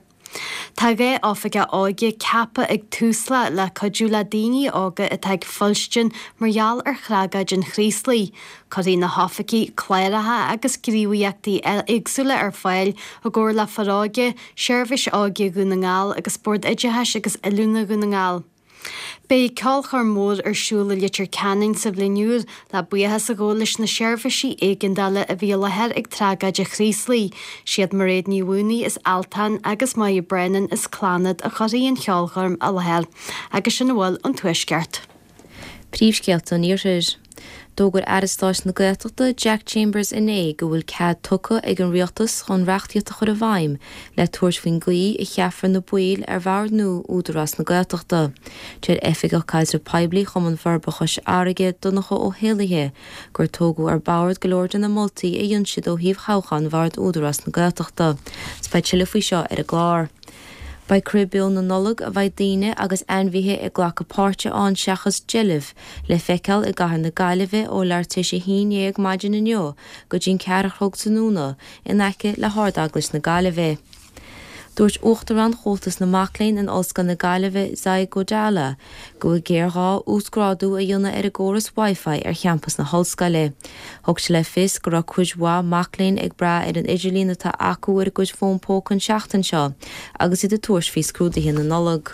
Tá 12 oifigeach óige ceaptha ag Tusla le cuidiú le daoine óga atá ag fuilstin mar gheall ar thragóid an Chraoslaigh. Cuirfidh na hoifigigh cláracha agus gníomhaíochtaí éagsúla ar fáil i gcomhar le Foróige, Seirbhís Óige Dhún na nGall agus Bord Oideachais agus Oiliúna Dhún na nGall. Beidh ceolchoirm mhór ar siúl i Leitir Ceanainn sa bhliain úr le buíochas a ghabháil leis na seirbhísí éigeandála a bhí i láthair ag tragóid an Chraoslaigh. Siad Mairéad Ní Mhaonaigh as Altan agus Máire Brennan as Clannad a chuirfidh an cheolchoirm i láthair. Agus sin a bhfuil ón Tuaisceart. Príomhscéalta an Iarthair. D'fhógair Aire Stáit na Gaeltachta, Jack Chambers inné go bhfuil cead tugtha ag an Rialtas chun reachtaíocht a chur i bhfeidhm le tabhairt faoin gcaoi a cheapfar na baill ar bhord nua Údarás na Gaeltachta. Deir Oifigeach Caidreamh Poiblí Chumann Forbartha Chois Fharraige, Donncha Ó hÉallaithe, gur tógadh ar bord go leor de na moltaí a dhein siad ó thaobh thoghchán Bhord Údarás na Gaeltachta. Beidh tuilleadh faoi seo ar an gclár. Beidh Crith Beo na Nollag, a bheidh daoine agus ainmhithe ag glacadh páirte ann seachas deilbh, le feiceáil i gcathair na Gaillimhe ó leathuair tar éis a haon dhéag maidin inniu go dtí'n ceathair a chlog tráthnóna in aice le hArd-Eaglais na Gaillimhe. Dúirt Uachtarán Chomhaltas na Mac Léinn in Ollscoil na Gaillimhe, Zai Godala, go bhfuil géarghá uasghrádú a dhéanamh ar an gcóras Wi-Fi ar champas na hollscoile. Thug sé le fios go raibh cuid mhaith mac léinn ag brath ar an idirlíon atá acu ar a gcuid fón póca an tseachtain seo agus iad ag tabhairt faoi scrúduithe na Nollag.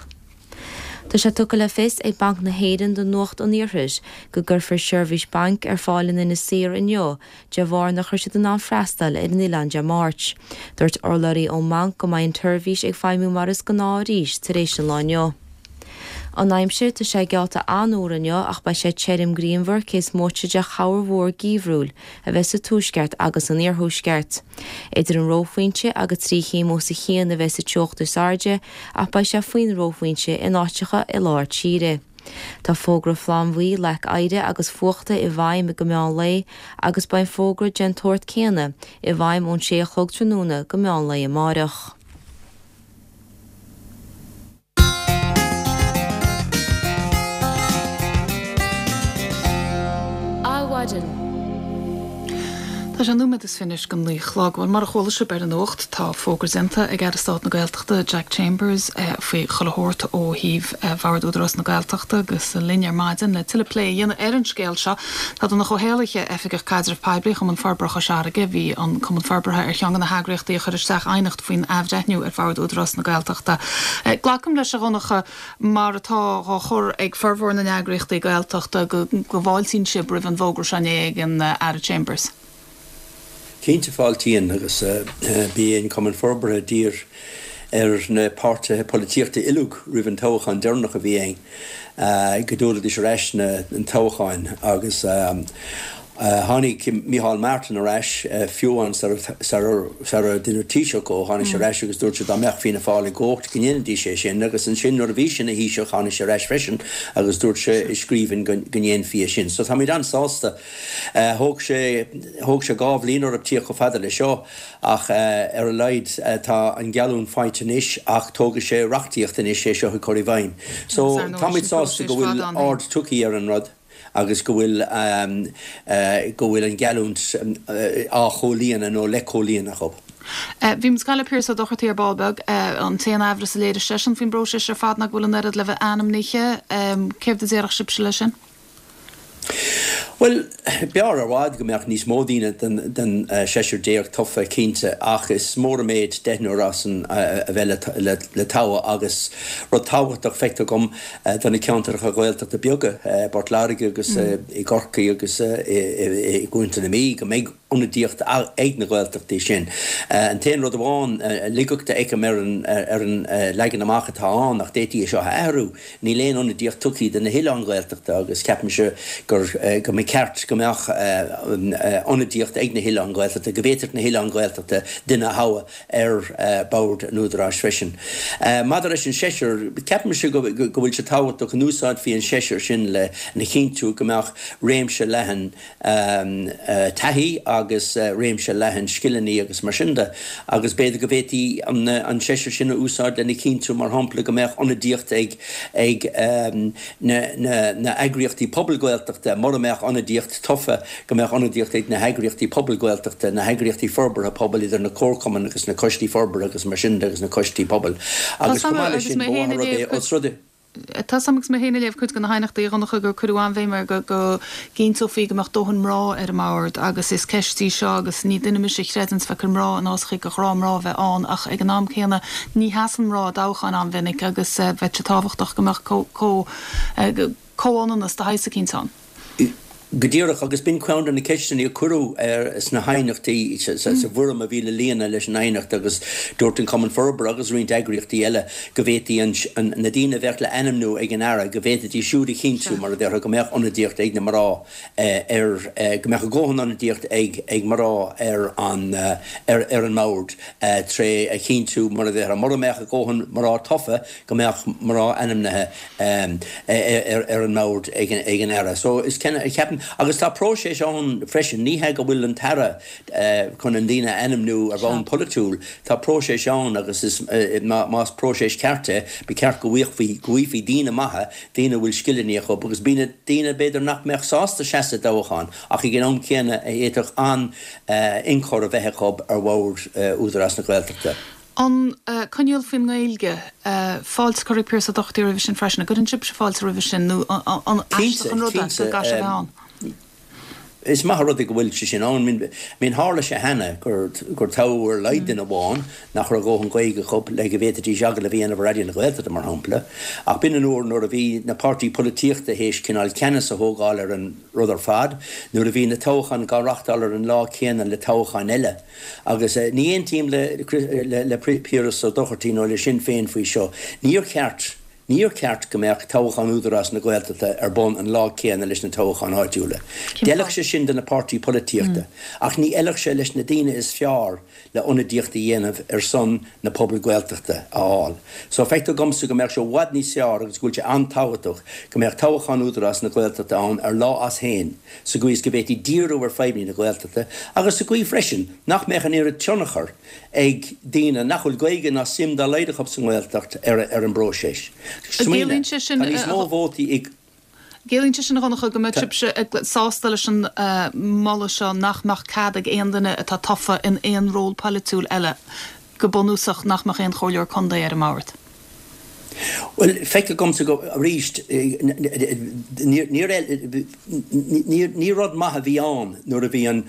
Tá sé tugtha le fios ag Banc na hÉireann do Nuacht an Iarthair go gcuirfear seirbhís bainc ar fáil in Inis Oírr inniu de bharr nach raibh siad in ann freastal ar an oileán Dé Máirt. Dúirt urlabhraí ón mbanc go mbeidh an tseirbhís ag feidhmiú mar is gnáth arís tar éis an lae inniu. An aimsir, tá sé geallta an-fhuar inniu ach beidh sé tirim grianmhar cé is móite de chorrmhúr geimhriúil a bheith sa tuaisceart agus san iarthuaisceart. Idir an reophointe agus 3 chéim os a chionn a bheidh sa teocht is airde ach beidh sé faoin reophointe in áiteacha i lár tíre. Tá fógra flannbhuí leac oighre agus fuachta i bhfeidhm go meán lae agus beidh an fógra den tsórt céanna i bhfeidhm ón 6 a chlog tráthnóna go meán lae amáireach. maidin. Tá sé nóiméad is fiche anois go naoi a chlog. Bhuel, mar a chuala sibh ar an nuacht, tá fógra déanta ag Aire Stáit na Gaeltachta, Jack Chambers, faoi chuile shórt ó thaobh Bhord Údarás na Gaeltachta agus linn ar maidin le tuilleadh plé a dhéanamh ar an scéal seo tá Donncha Ó hÉallaithe, Oifigeach Caidrimh Poiblí Chumann Forbartha Chois Fharraige. Bhí an Cumann Forbartha ar cheann de na heagraíochtaí a chuir isteach aighneacht faoin athbhreithniú ar Bhord Údarás na Gaeltachta. Glacaim leis, a Dhonncha, mar atá dhá chur ag formhór na n-eagraíochtaí Gaeltachta, go bhfáiltíonn sibh roimh an bhfógra seo inné ag an Aire Chambers. Cinnte fáiltíonn agus b'é an Cumann Forbartha a d'iarr ar na páirtithe polaitíochta uilig roimh an toghchán deireanach a bhí ann go dtabharfaidís ar ais na toghcháin agus Tháinig Micheál Martin ar ais, fiú amháin sara deineadh Taoiseach dhó, tháinig sé ar ais agus dúirt sé dá mbeadh Fianna Fáil i gcumhacht go ndéanfaidís é sin agus ansin nuair a bhí sé ina Thaoiseach tháinig sé ar ais freisin agus dúirt sé i scríbhinn go ndéanfaí é sin. So táimid an-sásta. Thóg sé, thóg sé dhá bhliain orthu tíocht chomh fada le seo ach ar a laghad tá an gheallúint faighte anois ach tógfaidh sé reachtaíocht anois é seo a chur i bhfeidhm. So táimid sásta go bhfuil aird tugtha ar an rud. agus go bhfuil go bhfuil an gheallúint á chomhlíonadh nó le comhlíonadh acu. Bhí muid ag caint le Piaras Ó Dochartaigh ar ball beag. An t-aon aimhreas a léirigh seisean faoin bpróiseas ar fad ná go bhfuil an oiread le bheith ainmnithe. Céard a déarfadh sibhse leis sin? Bhuel, b'fhearr i bhfad go mbeadh níos mó daoine den seisear tofa, cinnte, ach is mór an méid deichniúr as an a bheith le toghadh agus rud tábhachtach, feictear dhom, do na ceantracha Ghaeltachta beaga, i bPort Láirge agus i gCorcaigh agus i gContae na Mí, go mbeidh ionadaíocht ag na Gaeltachtaí sin. An t-aon rud amháin, laigeacht a fheicim ar an leagan amach atá ann, ach d'fhéadfaí é seo a athrú, níl aon ionadaíocht tugtha do na hoileáin Ghaeltachta agus ceapaimse gur go mba cheart go mbeadh ionadaíocht ag na hoileáin Ghaeltachta, go bhféadfadh na hoileáin Ghaeltachta duine a thoghadh. ar bhord an Údaráis freisin. Maidir leis an seisear, ceapaimse go bhfuil sé tábhachtach go n-úsáidfí an seisear sin lena chinntiú go mbeadh réimse leathan taithí agus réimse leathan scileanna agus mar sin de agus b'fhéidir go bhféadfaí an seisear sin a úsáid lena chinntiú, mar shampla, go mbeadh ionadaíocht ag na heagraíochtaí pobail Gaeltachta, mura mbeadh ionadaíocht tofa, go mbeadh ionadaíocht ag na heagraíochtaí pobail Gaeltachta, na heagraíochtaí forbartha pobail, idir na comharchumainn agus na coistí forbartha agus mar sin de agus na coistí pobail. Agus chomh maith leis sin, ba mhaith an rud é os rud é. Tá 's a'm agus mé féin ag léamh cuid de na haighneachtaí, a Dhonncha, gur cuireadh an-bhéim air go go gcinnteofaí go mbeadh dóthain mná ar an mbord agus is ceist í seo agus ní duine mise a chreideanns bheith ag cur mná in áiteachaí gur ghnáth mná a bheith ann ach ag an am céanna ní sheasann mná i dtoghcháin an-mhinic agus bheadh sé tábhachtach go mbeadh comhionannas de shaghas eicínt ann. Go díreach, agus b'in ceann de na ceisteanna a cuireadh sna haighneachtaí, sa bhfoirm a bhí le líonadh leis an aighneacht agus dúirt an Cumann Forbartha agus roinnt eagraíochtaí eile go bhféadfaí na daoine a bheadh le ainmniú ag an Aire, go bhféadfaidís siúd a chinntiú, mar a déarfá, go mbeadh ionadaíocht ag na mná ar, go mbeadh a dhóthain ionadaíocht ag mná ar an ar an mbord tré a chinntiú, mar a déarfá, mura mbeadh a dhóthain mná tofa, go mbeadh mná ainmnithe ar an mbord ag an Aire. So is ceapaim, agus tá próiseas ann freisin, ní hea go bhfuil an tAire chun an daoine a ainmniú ar bhonn polaitiúil, tá próiseas ann agus is más próiseas ceart é, ba cheart go bhfaighfí, go bhfaighfí daoine maithe, daoine a bhfuil scileanna acu agus b'fhéidir daoine b'fhéidir nach mbeadh sásta seasamh i dtoghchán ach ag an am céanna a fhéadfadh an-ionchur a bheith acu ar bhord Údarás na Gaeltachta. An coinníoll faoin nGaeilge, fáilte curtha ag Pearse Ó Dochartaigh roimhe sin freisin. An gcuireann sibhse fáilte roimhe sin nó an aisteach an rud é go gcaithfidh sé a bheith ann? Is maith an rud é go bhfuil sé sin ann. I mean tharla sé cheana gur toghadh ar a laghad duine amháin nach raibh a dhóthain Gaeilge acu le go bhféadfaidís agallamh a dhéanamh ar Raidió na Gaeltachta, mar shampla. Ach b'in an uair nuair a bhí na páirtí polaitíochta théis cineál ceannas a thógáil ar an rud ar fad, nuair a bhí na toghcháin dhá reáchtáil ar an lá céanna le toghcháin eile. Agus ní aontaím le Piaras Ó Dochartaigh nó le Sinn Féin faoi seo. Níor cheart, níor cheart go mbeadh toghchán Údarás na Gaeltachta ar bun an lá céanna leis na toghcháin áitiúla. D'fheilfeadh sé sin do na páirtí polaitíochta, ach ní fheilfeadh sé leis na daoine is fearr le ionadaíocht a dhéanamh ar son na pobail Gaeltachta a fháil. So feictear dhomsa go mbeadh sé i bhfad níos fearr agus go bhfuil sé an-tábhachtach go mbeadh toghchán Údarás na Gaeltachta ann ar lá as féin. sa gcaoi is go bhféadfaí díriú ar fadhbanna na Gaeltachta agus sa gcaoi freisin nach mbeadh an oiread tionchar ag daoine nach bhfuil Gaeilge ná suim dá laghad acu sa nGaeltacht ar an bpróiseas. Smaoinigh, tá níos mó vótaí i. Ciallaíonn sé sin, a Dhonncha, go mbeadh sibhse sásta leis an moladh seo nach mbeadh cead ag aon duine atá tofa in aon ról polaitiúil eile, go bunúsach, nach mbeadh aon chomhairleoir contae ar an mbord? Bhuel, feictear dhomsa go, arís, ní rud maith a bhí ann nuair a bhí an,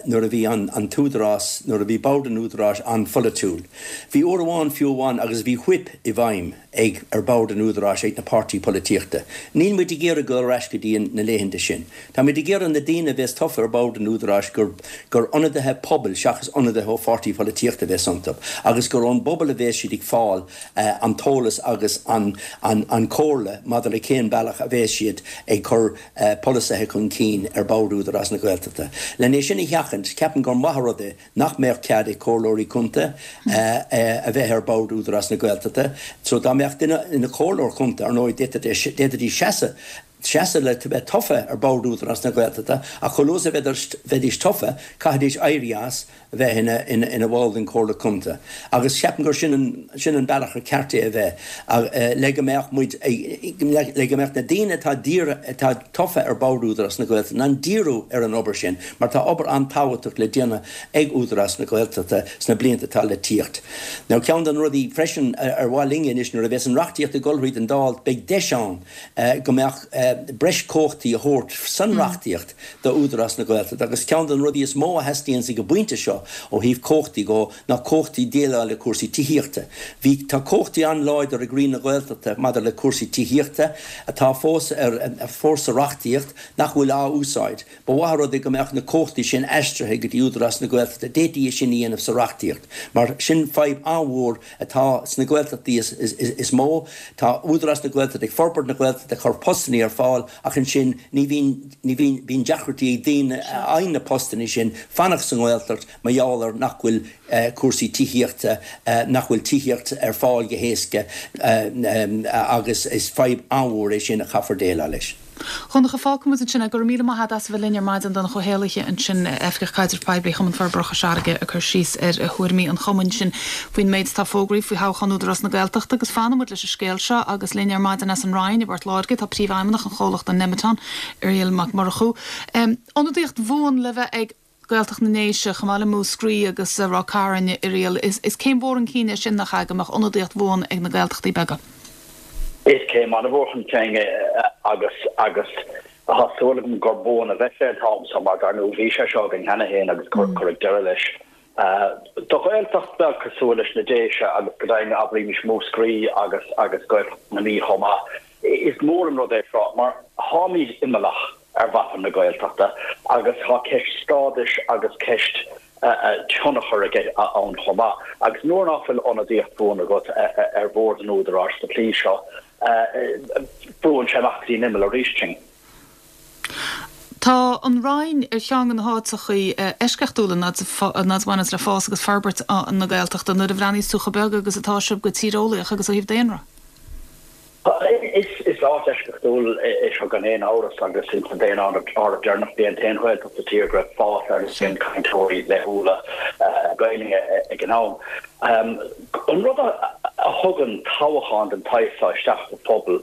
nuair a bhí an t-údarás, nuair a bhí bord an údaráis an-pholaitiúil. Bhí uair amháin fiú amháin agus bhí whip i bhfeidhm ag, ar bhord an údaráis ag na páirtí polaitíochta. Níl muid ag iarraidh dul ar ais go dtí na laethanta sin. Tá muid ag iarraidh na daoine a bheas tofa ar bhord an údaráis gur, gur ionadaithe pobail seachas ionadaithe ó pháirtí polaitíochta a bheas iontu agus gur ón bpobal a bheas siad ag fáil an t-eolas agus an, an, an chomhairle maidir le cén bealach a bheas siad ag cur polasaithe chun cinn ar bhord Údarás na Gaeltachta. Len é sin a sheachaint, ceapaim gur maith an rud é nach mbeadh cead ag comhairleoirí contae a bheith ar bhord Údarás na Gaeltachta. So dá mbeadh duine ina chomhairleoir contae, ar ndóigh, d'fhéadfaidís seasamh seasamh le bheith tofa ar bhord Údarás na Gaeltachta ach chomh luath is a bheidís tofa, caithfidís éirí as a bheith ina bhall den Chomhairle Contae. Agus ceapaim gur sin an, sin an bealach ar ceart é a bheith, le go mbeadh muid, le go mbeadh na daoine atá dírithe, atá tofa ar bhord Údarás na Gaeltachta in ann díriú ar an obair sin, mar tá obair an-tábhachtach le déanamh ag Údarás na Gaeltachta sna blianta atá le tíocht. Now ceann de na rudaí freisin ar mhaith linne anois nuair a bheas an reachtaíocht ag dul thríd an Dáil, beidh deis ann go mbeadh breis cumhachtaí a thabhairt san reachtaíocht do Údarás na Gaeltachta agus ceann de na rudaí is mó a theastaíonns ag an bpointe seo ó thaobh cumhachtaí dhó ná cumhachtaí déileáil le cúrsaí tithíochta. Bhí, tá cumhachtaí an-láidir ag Roinn na Gaeltachta maidir le cúrsaí tithíochta atá fós ar, fós sa reachtaíocht nach bhfuil á úsáid. Ba mhaith an rud é go mbeadh na cumhachtaí sin aistrithe go dtí Údarás na Gaeltachta. D'fhéadfaí é sin a dhéanamh sa reachtaíocht mar sin fadhb an-mhór atá sna Gaeltachtaí is mó. Tá Údarás na Gaeltachta ag forbairt na Gaeltachta, ag cur postannaí ar fáil ach ansin ní bhíonn, ní bhíonn, bíonn deacrachtaí ag daoine a fhaigheann na postannaí sin fanacht sa nGaeltacht mar gheall ar nach bhfuil cúrsaí tithíochta, nach bhfuil tithíocht ar fáil go héasca agus is fadhb an-mhór é sin a chaithfear déileáil leis. Dhonncha, fágfaidh muid ansin é. Go raibh míle maith agat as a bheith linn ar maidin, Donncha Ó hÉallaithe ansin, Oifigeach Caidrimh Poiblí Chumann Forbartha Chois Fharraige ag cur síos ar thuairimí an chumainn sin faoin méid atá fógraithe faoi thoghchán Údarás na Gaeltachta agus fanfaidh muid leis an scéal seo agus linn ar maidin as an Rinn i bPort Láirge tá Príomhfheidhmeannach an chomhlachta Nemeton, Irial Mac Murchú. Ionadaíocht bhuan le bheith ag Gaeltacht na nDéise, chomh maith le Múscraí agus Ráth Cairn, Irial. Is céim mhór chun cinn é sin, nach ea, go mbeadh ionadaíocht bhuan ag na Gaeltachtaí beaga? Is céim an-mhór chun cinn é agus agus tá súil agam gur buan a bheidh sé an t-am seo mar dar ndóigh bhí sé seo againn cheana féin agus cuireadh deireadh leis. Do Ghaeltacht bheag cosúil leis na Déise agus go deimhin abraímis Múscraí agus agus Gaeltacht na Mí chomh maith, is mór an rud é seo mar táimid imeallach. ar mhapa na Gaeltachta agus tá ceist stádais agus ceist tionchair aige ann chomh maith. Agus nuair nach bhfuil ionadaíocht bhuan agat ar bhord an Údaráis sa tslí seo, brúann sé amach go dtí an imeall arís sinn. Tá an Rinn ar cheann de na háiteachaí eisceachtúla fhad a bhaineanns le fás agus forbairt na Gaeltachta nuair a bhreathnaíos tú chomh beag agus atá sibh go tíreolaíoch agus ó thaobh daonra. Is áit eisceachtúil é seo gan aon amhras agus ins an daonáireamh deireanach b'é an t-aon Ghaeltacht sa tír go raibh fás ar líon cainteoirí laethúla Gaelainne ag an am. An rud a thugann toghchán den tsaghas seo isteach sa phobal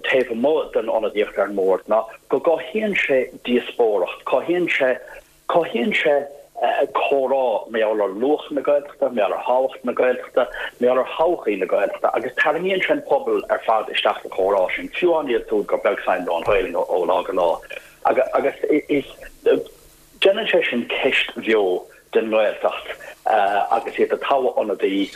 taobh amuigh den ionadaíocht ar an mbord ná go gcothaíonn sé díospóireacht, cothaíonn sé Cothaíonn sé comhrá mar gheall ar luach na Gaeltachta, mar gheall ar thábhacht na Gaeltachta, mar gheall ar thodhchaí na Gaeltachta agus tarraingíonn sé an pobal ar fad isteach sa chomhrá sin, fiú amháin iad siúd gur beag suim leo an Ghaelainn ó lá go lá. Agus is déanann sé sin ceist bheo den nGaeltacht agus iad ag toghadh ionadaí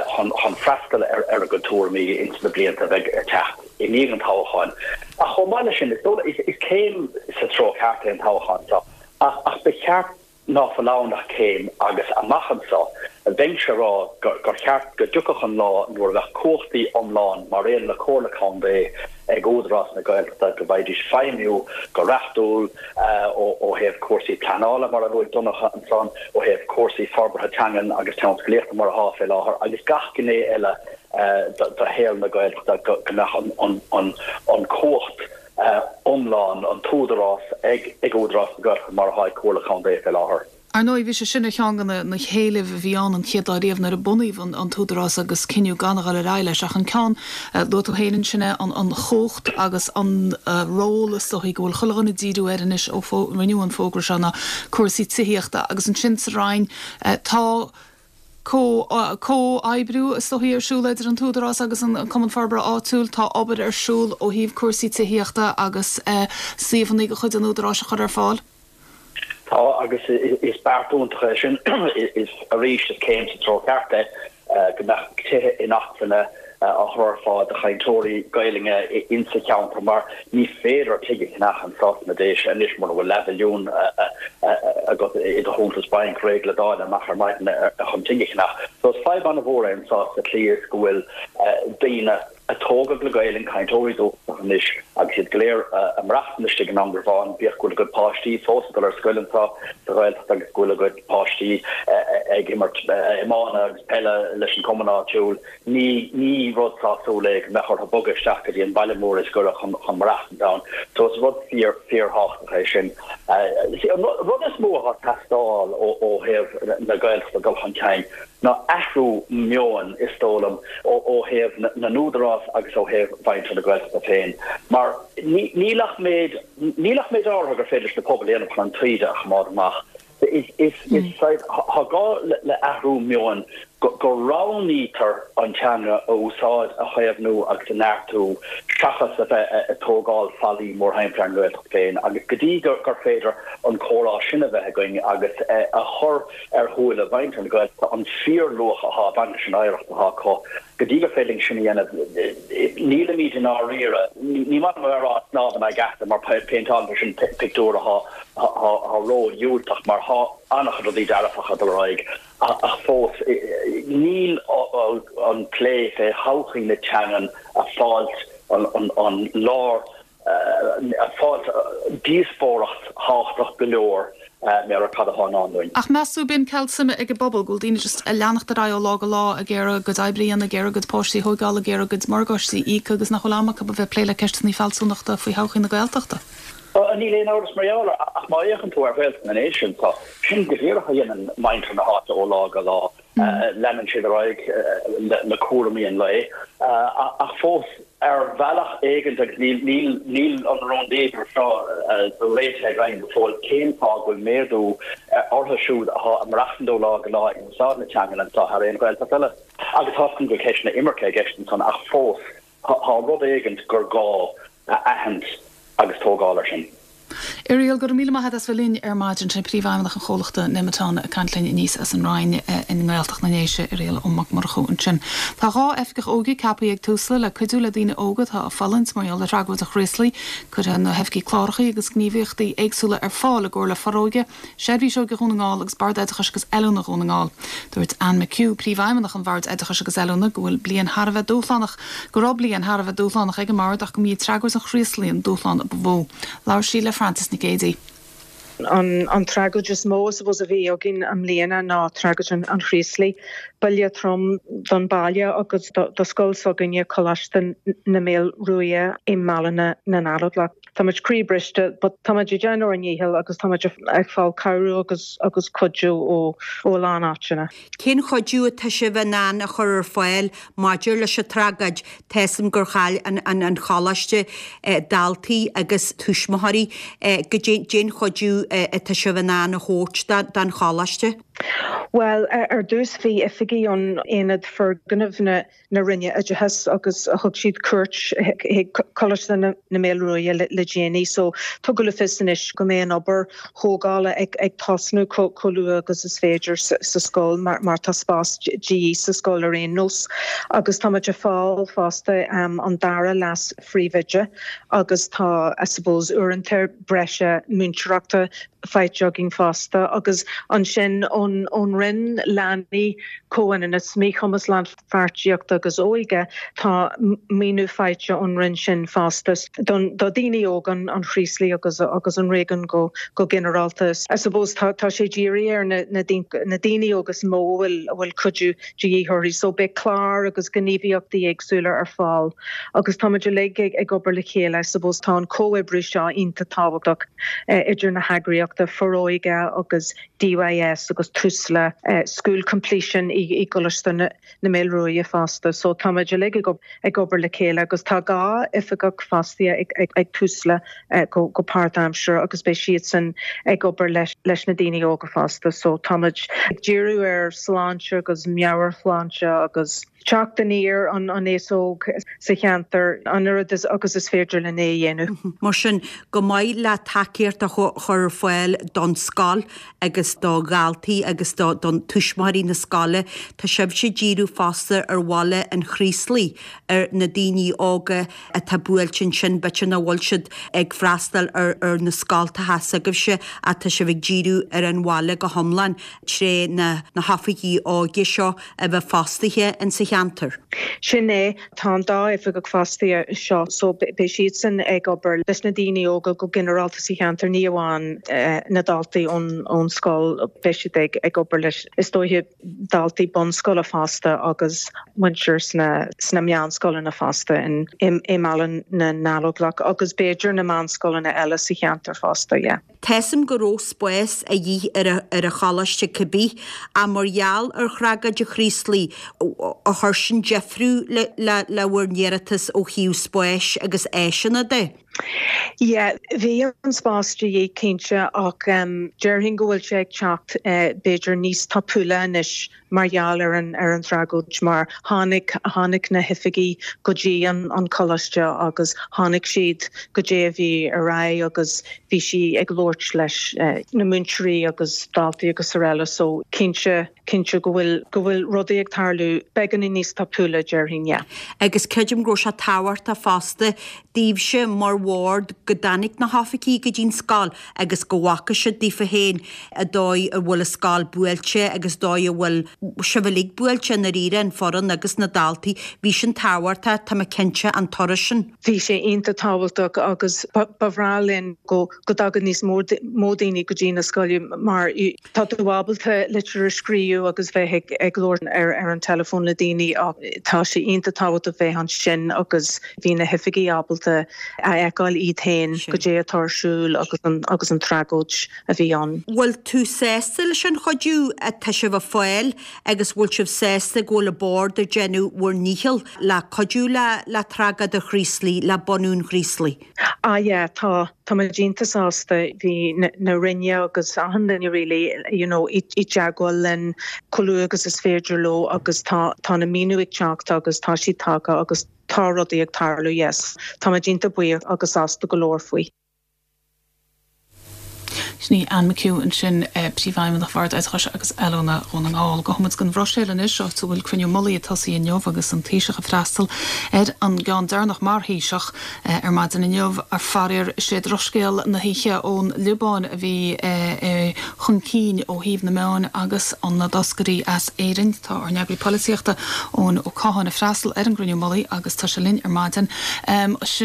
chun freastal ar a gcuid tuairimí ins na blianta a bheidh ag teacht i ndiaidh an toghcháin. Ach chomh maith leis sin, is céim sa treo ceart é an toghchán seo. Ach ba cheart ná fuil ann ach céim agus amach anso bheinnse a rá gur cheart go dtiocfadh an lá nuair a bheadh cumhachtaí iomlán mar aon le Comhairle Contae ag Údarás na Gaeltachta go bhfaighidís feidhmiú go reachtúil ó thaobh cúrsaí pleanála mar a luaigh Donncha ansan, ó thaobh cúrsaí forbartha teangan agus tionsclaíochta mar atá fé láthair agus gach gné eile de shaol na Gaeltachta go mbeadh an cumhacht iomlán, an t-údarás ag Údarás na Gaeltachta mar atá ag Comhairle Contae fé láthair. Ar ndóigh, bhí sé sin ar cheann de na héilimh a bhí ann an chéad lá riamh nuair a bunaíodh an tÚdarás agus cinneadh gan a dhul ar aghaidh leis. Ach an ceann, luaigh tú féin ansin é, an chumhacht agus an ról is dóichí go bhfuil chuile dhuine ag díriú air anois ó rinneadh an fógra seo ná cúrsaí tithíochta. Agus ansin sa Roinn tá comhoibriú is dóichí ar siúl idir an tÚdarás agus an Cumann Forbartha Áitiúil. Tá obair ar siúl ó thaobh cúrsaí tithíochta agus suíomhanna de chuid an Údaráis a chur ar fáil. Tá, agus is beart iontach é sin. Is arís is céim sa treo ceart é go mbeadh tithe inacmhainne á chur ar fáil do chainteoirí Gaelainne insa cheantar mar ní féidir tigh a cheannach anseo sna Déise anois mura bhfuil leathmhilliún agat i do chuntas bainc réidh le dáileadh amach ar maidin chun tigh a cheannach. So is fadhb an-mhór é anseo sa tslí is go bhfuil daoine a tógadh le Gaelainn, cainteoirí dúchasacha anois agus iad go léir ag maireachtaint istigh in Indreabhán, bíodh go bhfuil a gcuid páistí fós ag dul ar scoil anseo sa Ghaeltacht agus go bhfuil a gcuid páistí ag imirt iomána agus peile leis an chumann áitiúil, ní ní rud sásúil é go mbeadh orthu bogadh isteach go dtí an baile mór is gaire chun chun maireachtaint ann. So is rud fíor fíorthábhachtach é sin. An rud is mó atá ag teastáil ó ó thaobh na Gaeltachta dul chun cinn, ná athrú meoin, is dóigh liom, ó thaobh na n-údarás agus ó thaobh mhuintir na Gaeltachta féin. Mar níl ach méid, níl ach méid áirithe gur féidir leis na pobail a dhéanamh chun an taoide a choimeád amach. Is, is, tá gá le athrú meoin go roghnaítear an teanga a úsáid, a chaomhnú agus a neartú seachas a bheith ag tógáil fallaí mórthimpeall ar an nGaeltacht féin agus go dtí gur féidir an comhrá sin a bheith againn agus a chur ar shúile mhuintir na Gaeltachta an fíorluach atá ag baint leis an oidhreacht atá acu. Go dtí gur féidir linn sin a dhéanamh, nílimid i ndáiríre, ní maith liom a bheith ag rá snámh in aghaidh easa mar péinteálann sé sin pictiúr atá ró-dhiúltach mar tá an-chuid rudaí dearfacha ag dul ar aghaidh ach fós níl an plé fé thodhchaí na teangan ag fáilt an lár ag fáilt díospóireacht thábhachtach go leor mar cad atá i ndán dúinn. Ach meas tú, b'in ceal suime ag an bpobal, go bhfuil daoine just ag leanacht ar aghaidh ó lá go lá ag iarraidh a gcuid oibre a dhéanamh, ag iarraidh a gcuid páistí a thóigeáil, ag iarraidh a gcuid morgáistí a íoc agus nach bhfuil am acu a bheith ag plé le ceisteanna fealsúnachta faoi thodhchaí na Gaeltachta? Níl aon amhras mar gheall air, ach má fhéachann tú ar Ghaeltacht na nDéise anseo, sin go díreach a dhéanann muintir na háite ó lá go lá. Leanann siad ar aghaidh le cúraimí an lae, ach fós, ar bhealach éigint, agus níl an rúndiamhair seo réitithe againn go fóill, cén fáth go bhfuil méadú orthu siúd atá ag maireachtaint ó lá go lá ag úsáid na teangan anseo thar aon Ghaeltacht eile? Agus tá a fhios agam go bhfuil ceisteanna imirce i gceist ansan, ach fós, Tá rud éigint gur gá a aithint agus tógáil air sin. Irial, go raibh míle maith agat as bheith linn ar maidin. Sin Príomhfheidhmeannach an chomhlachta Nemeton ag caint linn aníos as an Rinn i nGaeltacht na nDéise, Irial Ó Mac Murchú ansin. Tá 2 oifigeach óige ceaptha ag Tusla le cuidiú le daoine óga atá ag fulaingt mar gheall ar thragóid an Chraoslaigh. Cuirfidh na hoifigigh cláracha agus gníomhaíochtaí éagsúla ar fáil i gcomhar le Foróige, Seirbhís Óige Dhún na nGall agus Bord Oideachais agus Oiliúna Dhún na nGall. Dúirt Anne McHugh, Príomhfheidhmeannach an Bhoird Oideachais agus Oiliúna, go bhfuil bliain thar a bheith dúshlánach, go raibh bliain thar a bheith dúshlánach ag an mBord ach go mb'í tragóid an Chraoslaigh an dúshlán a ba mhó. Labhair sí le Frances Nic Géadaigh. An tragóid is mó, I suppose, a bhí againn i mbliana ná tragóid an Chraoslaigh. Buille trom don baile agus do scoil s'againne, Coláiste na Maolmhuaidhe i mBaile na nGallóglach. Táimid croíbhriste but táimid ag déanamh ár ndícheall agus táimid ag fáil cabhrú agus agus cuidiú ó ó a lán áiteanna. Cén chuidiú atá sibh in ann a chur ar fáil maidir leis an tragóid? Tá 'fhios a'm gur chaill an an an choláiste daltaí agus tuismitheoirí. Goidé cén chuidiú atá sibh in ann a thabhairt don choláiste? Bhuel, ar dtús bhí oifigigh ón Aonad Foirgneamh na na Roinne Oideachais agus thug siad cuairt chuig Coláiste na Maolmhuaidhe le déanaí so tugadh le fios anois go mbeidh an obair thógála ag tosnú chomh luath agus is féidir sa scoil mar tá spás de dhíth sa scoil ar aon nós agus táimid ag fáil fosta an dara leas phríomhoide agus tá I suppose uaireanta breise múinteoireachta faighte againn fosta agus ansin ón Roinn Leanaí, Comhionannas, Míchumas, Lánpháirtíochta agus Óige, tá maoiniú faighte ón Roinn sin fosta do dhaoine óga. óga an Chraoslaigh agus agus an réigiún go go ginearálta. I suppose tá tá sé dírithe ar na na na daoine óga is mó a bhfuil a bhfuil cuidiú de dhíth orthu. So beidh clár agus gníomhaíochtaí éagsúla ar fáil agus táimid uilig ag ag obair le chéile. I suppose tá an comhoibriú seo iontach tábhachtach idir na heagraíochta Foróige agus DYS agus Tusla, School Completion i i gColáiste na na Maolruaidhe fosta. So táimid uilig ag ag obair le chéile agus tá 2 oifigeach fostaithe ag ag Tusla go go páirtaimseartha agus beidh siadsan ag obair leis leis na daoine óga fosta. So táimid ag díriú ar sláinte agus meabhairshláinte agus teacht aniar an an aos óg sa cheantar an oiread agus is féidir linn é a dhéanamh. Mar sin, chomh maith le tacaíocht a chur ar fáil don scoil agus do dhaltaí agus do tuismitheoirí na scoile, tá sibhse ag díriú fosta ar bhaile an Chraoslaigh, ar na daoine óga atá buailte ansin, b'fhéidir nach bhfuil siad ag freastal ar na scoltacha s'agaibhse ach tá sibh ag díriú ar an bhaile go hiomlán tré na hoifigigh óige seo a bheith fostaithe in sa cheantar. Sin é. Tá an dá oifigeach fostaithe seo so beidh siadsan ag obair leis na daoine óga go ginearálta sa cheantar, ní amháin na daltaí ón scoil, beidh siad ag obair leis is dóiche daltaí bunscoile fosta agus muintir sna sna meánscoileanna fosta i mBaile na nGallóglach agus b'fhéidir na meánscoileanna eile sa cheantar fosta, yeah. Tá 'fhios a'm go raibh spás a dhíth ar ar an choláiste cibé, ach mar gheall ar thragóid an Chraoslaigh, ar chuir sin deifriú le le bhur n-iarratas ó thaobh spáis agus áiseanna de? Yeah, bhí an spás de dhíth cinnte ach déarfainn go bhfuil sé ag teacht b'fhéidir níos tapúla anois mar gheall ar an ar an tragóid mar tháinig tháinig na hoifigigh go dtí an an coláiste agus chonaic siad goidé a bhí ar aghaidh agus bhí sí ag labhairt leis na múinteoirí agus daltaí agus araile so cinnte cinnte go bhfuil go bhfuil rudaí ag tarlú beagáinín níos tapúla déarfainn yeah. Agus creidim go raibh sé tábhachtach fosta daoibhse mar bhord go dtáinig na hoifigigh go dtí'n scoil agus go bhfaca siad daofa féin an dóigh a bhfuil an scoil buailte agus dóigh a bhfuil sibh uilig buailte i ndáiríre, an foireann agus na daltaí. Bhí sin tábhachtach, tá mé cinnte, an turas sin. Bhí sé iontach tábhachtach agus ba bhreá linn go dtagadh níos mó daoine go dtí na scoile mar tá tú ábalta litir a scríobh agus bheith ag labhairt ar an teileafón le daoine ach tá sé iontach tábhachtach bheith ansin agus Bhí na hoifigigh ábalta a fheiceáil iad féin goidé atá ar siúl agus an agus an tragóid a bhí ann. Bhfuil tú sásta leis an chuidiú atá sibh ag fáil agus bhfuil sibh sásta go bhfuil an Bord ag déanamh bhur ndícheall le cuidiú le le tragóid an Chraoslaigh, le bunú an Chraoslaigh? Ah yeah, tá. Tá muid iontach sásta. Bhí na Roinne agus achan duine really you know i dteagmháil linn chomh luath agus is féidir leo agus tá tá na maoiniú ag teacht agus tá siad tagtha agus Tá rudaí ag tarlú, yes. Tá muid iontach buíoch agus sásta go leor faoi. Sin í Anne McHugh ansin, Príomhfheidhmeannach Bhord Oideachais agus Oiliúna Dhún na nGall. Gabhfaidh muid don Bhruiséil anois, áit a bhfuil cruinniú mullaigh ag tosaí inniu agus an Taoiseach ag freastal ar an gceann deireanach mar Thaoiseach ar maidin inniu. Faraor, is é drochscéal na hoíche ón Liobáin a bhí chun cinn ó thaobh na meáin agus na dtoscairí as Éirinn. Tá ár n-eagraí polaitíochta, Eoin Ó Catháin, ag freastal ar an gcruinniú mullaigh agus tá sé linn ar maidin.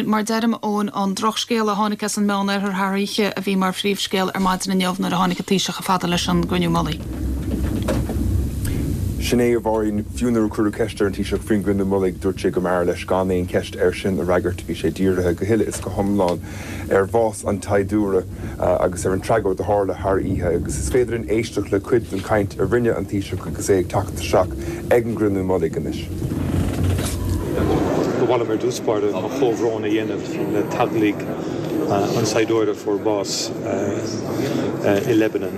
Mar a deirim, Eoin, an drochscéal a tháinig as an Meán-Oirthear thar oíche a bhí mar phríomhscéal ar maidin inniu nuair a tháinig an Taoiseach chomh fada leis an gcruinniú mullaigh. Sin é, a Mháirín. Fiú nuair a cuireadh ceist ar an Taoiseach faoin gcruinniú mullaigh, dúirt sé go mb'fhearr leis gan aon cheist air sin a fhreagairt. Bhí sé dírithe go huile is go hiomlán ar bhás an tsaighdiúra agus ar an tragóid a tharla thar oíche agus is féidir linn éisteacht le cuid den chaint a rinne an Taoiseach agus é ag teacht isteach ag an gcruinniú mullaigh anois. Ba mhaith liom ar dtús báire mo chomhbhrón a dhéanamh le teaghlaigh an tsaighdiúra a fuair bás i Lebanon.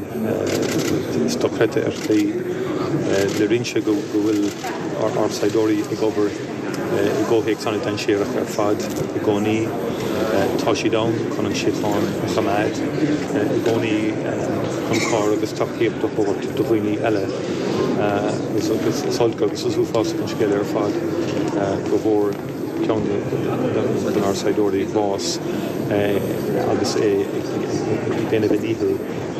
Is dochreidte ar shlí le roinnt go bhfuil ár saighdiúirí ag obair i gcomhthéacs an-dainséarach ar fad i gcónaí. Tá siad ann chun an síocháin a choimeád i gcónaí, chun cabhair agus tacaíocht a thabhairt do dhaoine eile. Is olc agus is uafásach an scéal ar fad go bhfuair ceann denár saighdiúirí bás agus é ag déanamh a dhícheall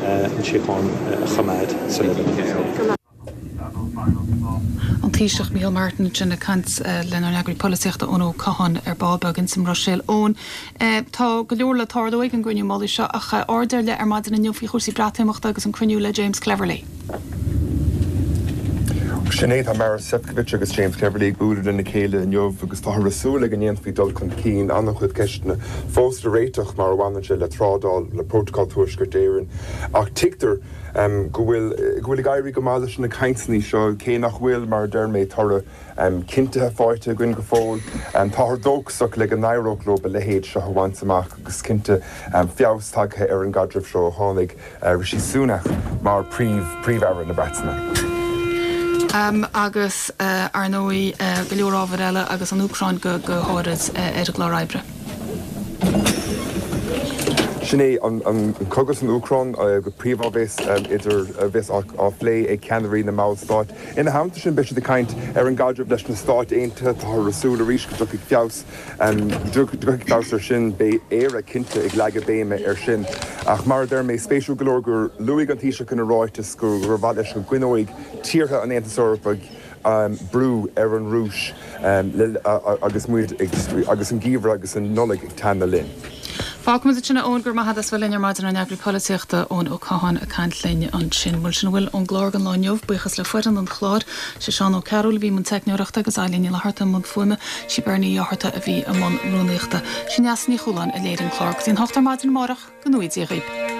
an síocháin a choimeád sa Liobáin. An Taoiseach Micheál Martin ansin ag caint lenár n-eagraí polaitíochta Eoin Ó Catháin ar ball beag ins an mBruiséil. Eoin, tá go leor le tarlú ag an gcruinniú mullaigh seo ach aird ar leith ar maidin inniu faoi chúrsaí Breatimeachta agus an cruinniú le James Cleverly. Sin é, tá Maros Sefcovic agus James Cleverly ag bualadh lena chéile inniu agus táthar ag súil le go ndéanfaí dul chun cinn. An-chuid ceisteanna fós le réiteach mar a bhaineann sé le trádáil, le Prótacal Tuaisceart Éireann ach tuigtear go bhfuil go bhfuil ag éirí go maith leis na cainteanna seo cé nach bhfuil, mar a deir mé, toradh cinntithe faighte againn go fóill. Táthar dóchasach le go n-éireodh leo a leithéid seo a bhaint amach agus cinnte feabhas tagtha ar an gcaidreamh seo ó tháinig Rishi Sunak mar Phríomh-Aire na Breataine. Agus, ar ndóigh, go leor ábhair eile agus an Úcráin go háirid ar an gclár oibre. Sin é an cogadh san Úcráin go príomha a bheas idir a bheas á phlé ag ceannairí na mballstát. Ina theannta sin beidh siad ag caint ar an gcaidreamh leis na Stáit Aontaithe. Táthar ag súil arís go dtiocfaidh feabhas dtiocfaidh feabhas air sin. Beidh Éire cinnte ag leagadh béime air sin. Ach mar a deir mé, spéisiúil go leor gur luaigh an Taoiseach ina ráiteas gur mhaith leis go gcoinneoidh tíortha an Aontais Eorpaigh brú ar an Rúis agus muid ag agus an geimhreadh agus an Nollaig ag teannadh linn. Fágfaimid ansin é, Eoin, go raibh maith agat as bheith linn ar maidin, ár n-eagraí polaitíochta, Eoin Ó Catháin ag caint linn ansin. Bhuel, sin a bhfuil ón gclár don lá inniu. Buíochas le foireann an chláir. Sé Seán Ó Cearúil a bhí i mbun teicneoireachta agus Eilín Ní Fhlatharta i mbun fuaime. Sí Bernie Uí Fhátharta a bhí i mbun rúnaíochta. Sí Neasa Ní Chualáin a léirigh an clár. Go dtí an 8 ar maidin amárach, go ngnóthaí Dia dhaoibh.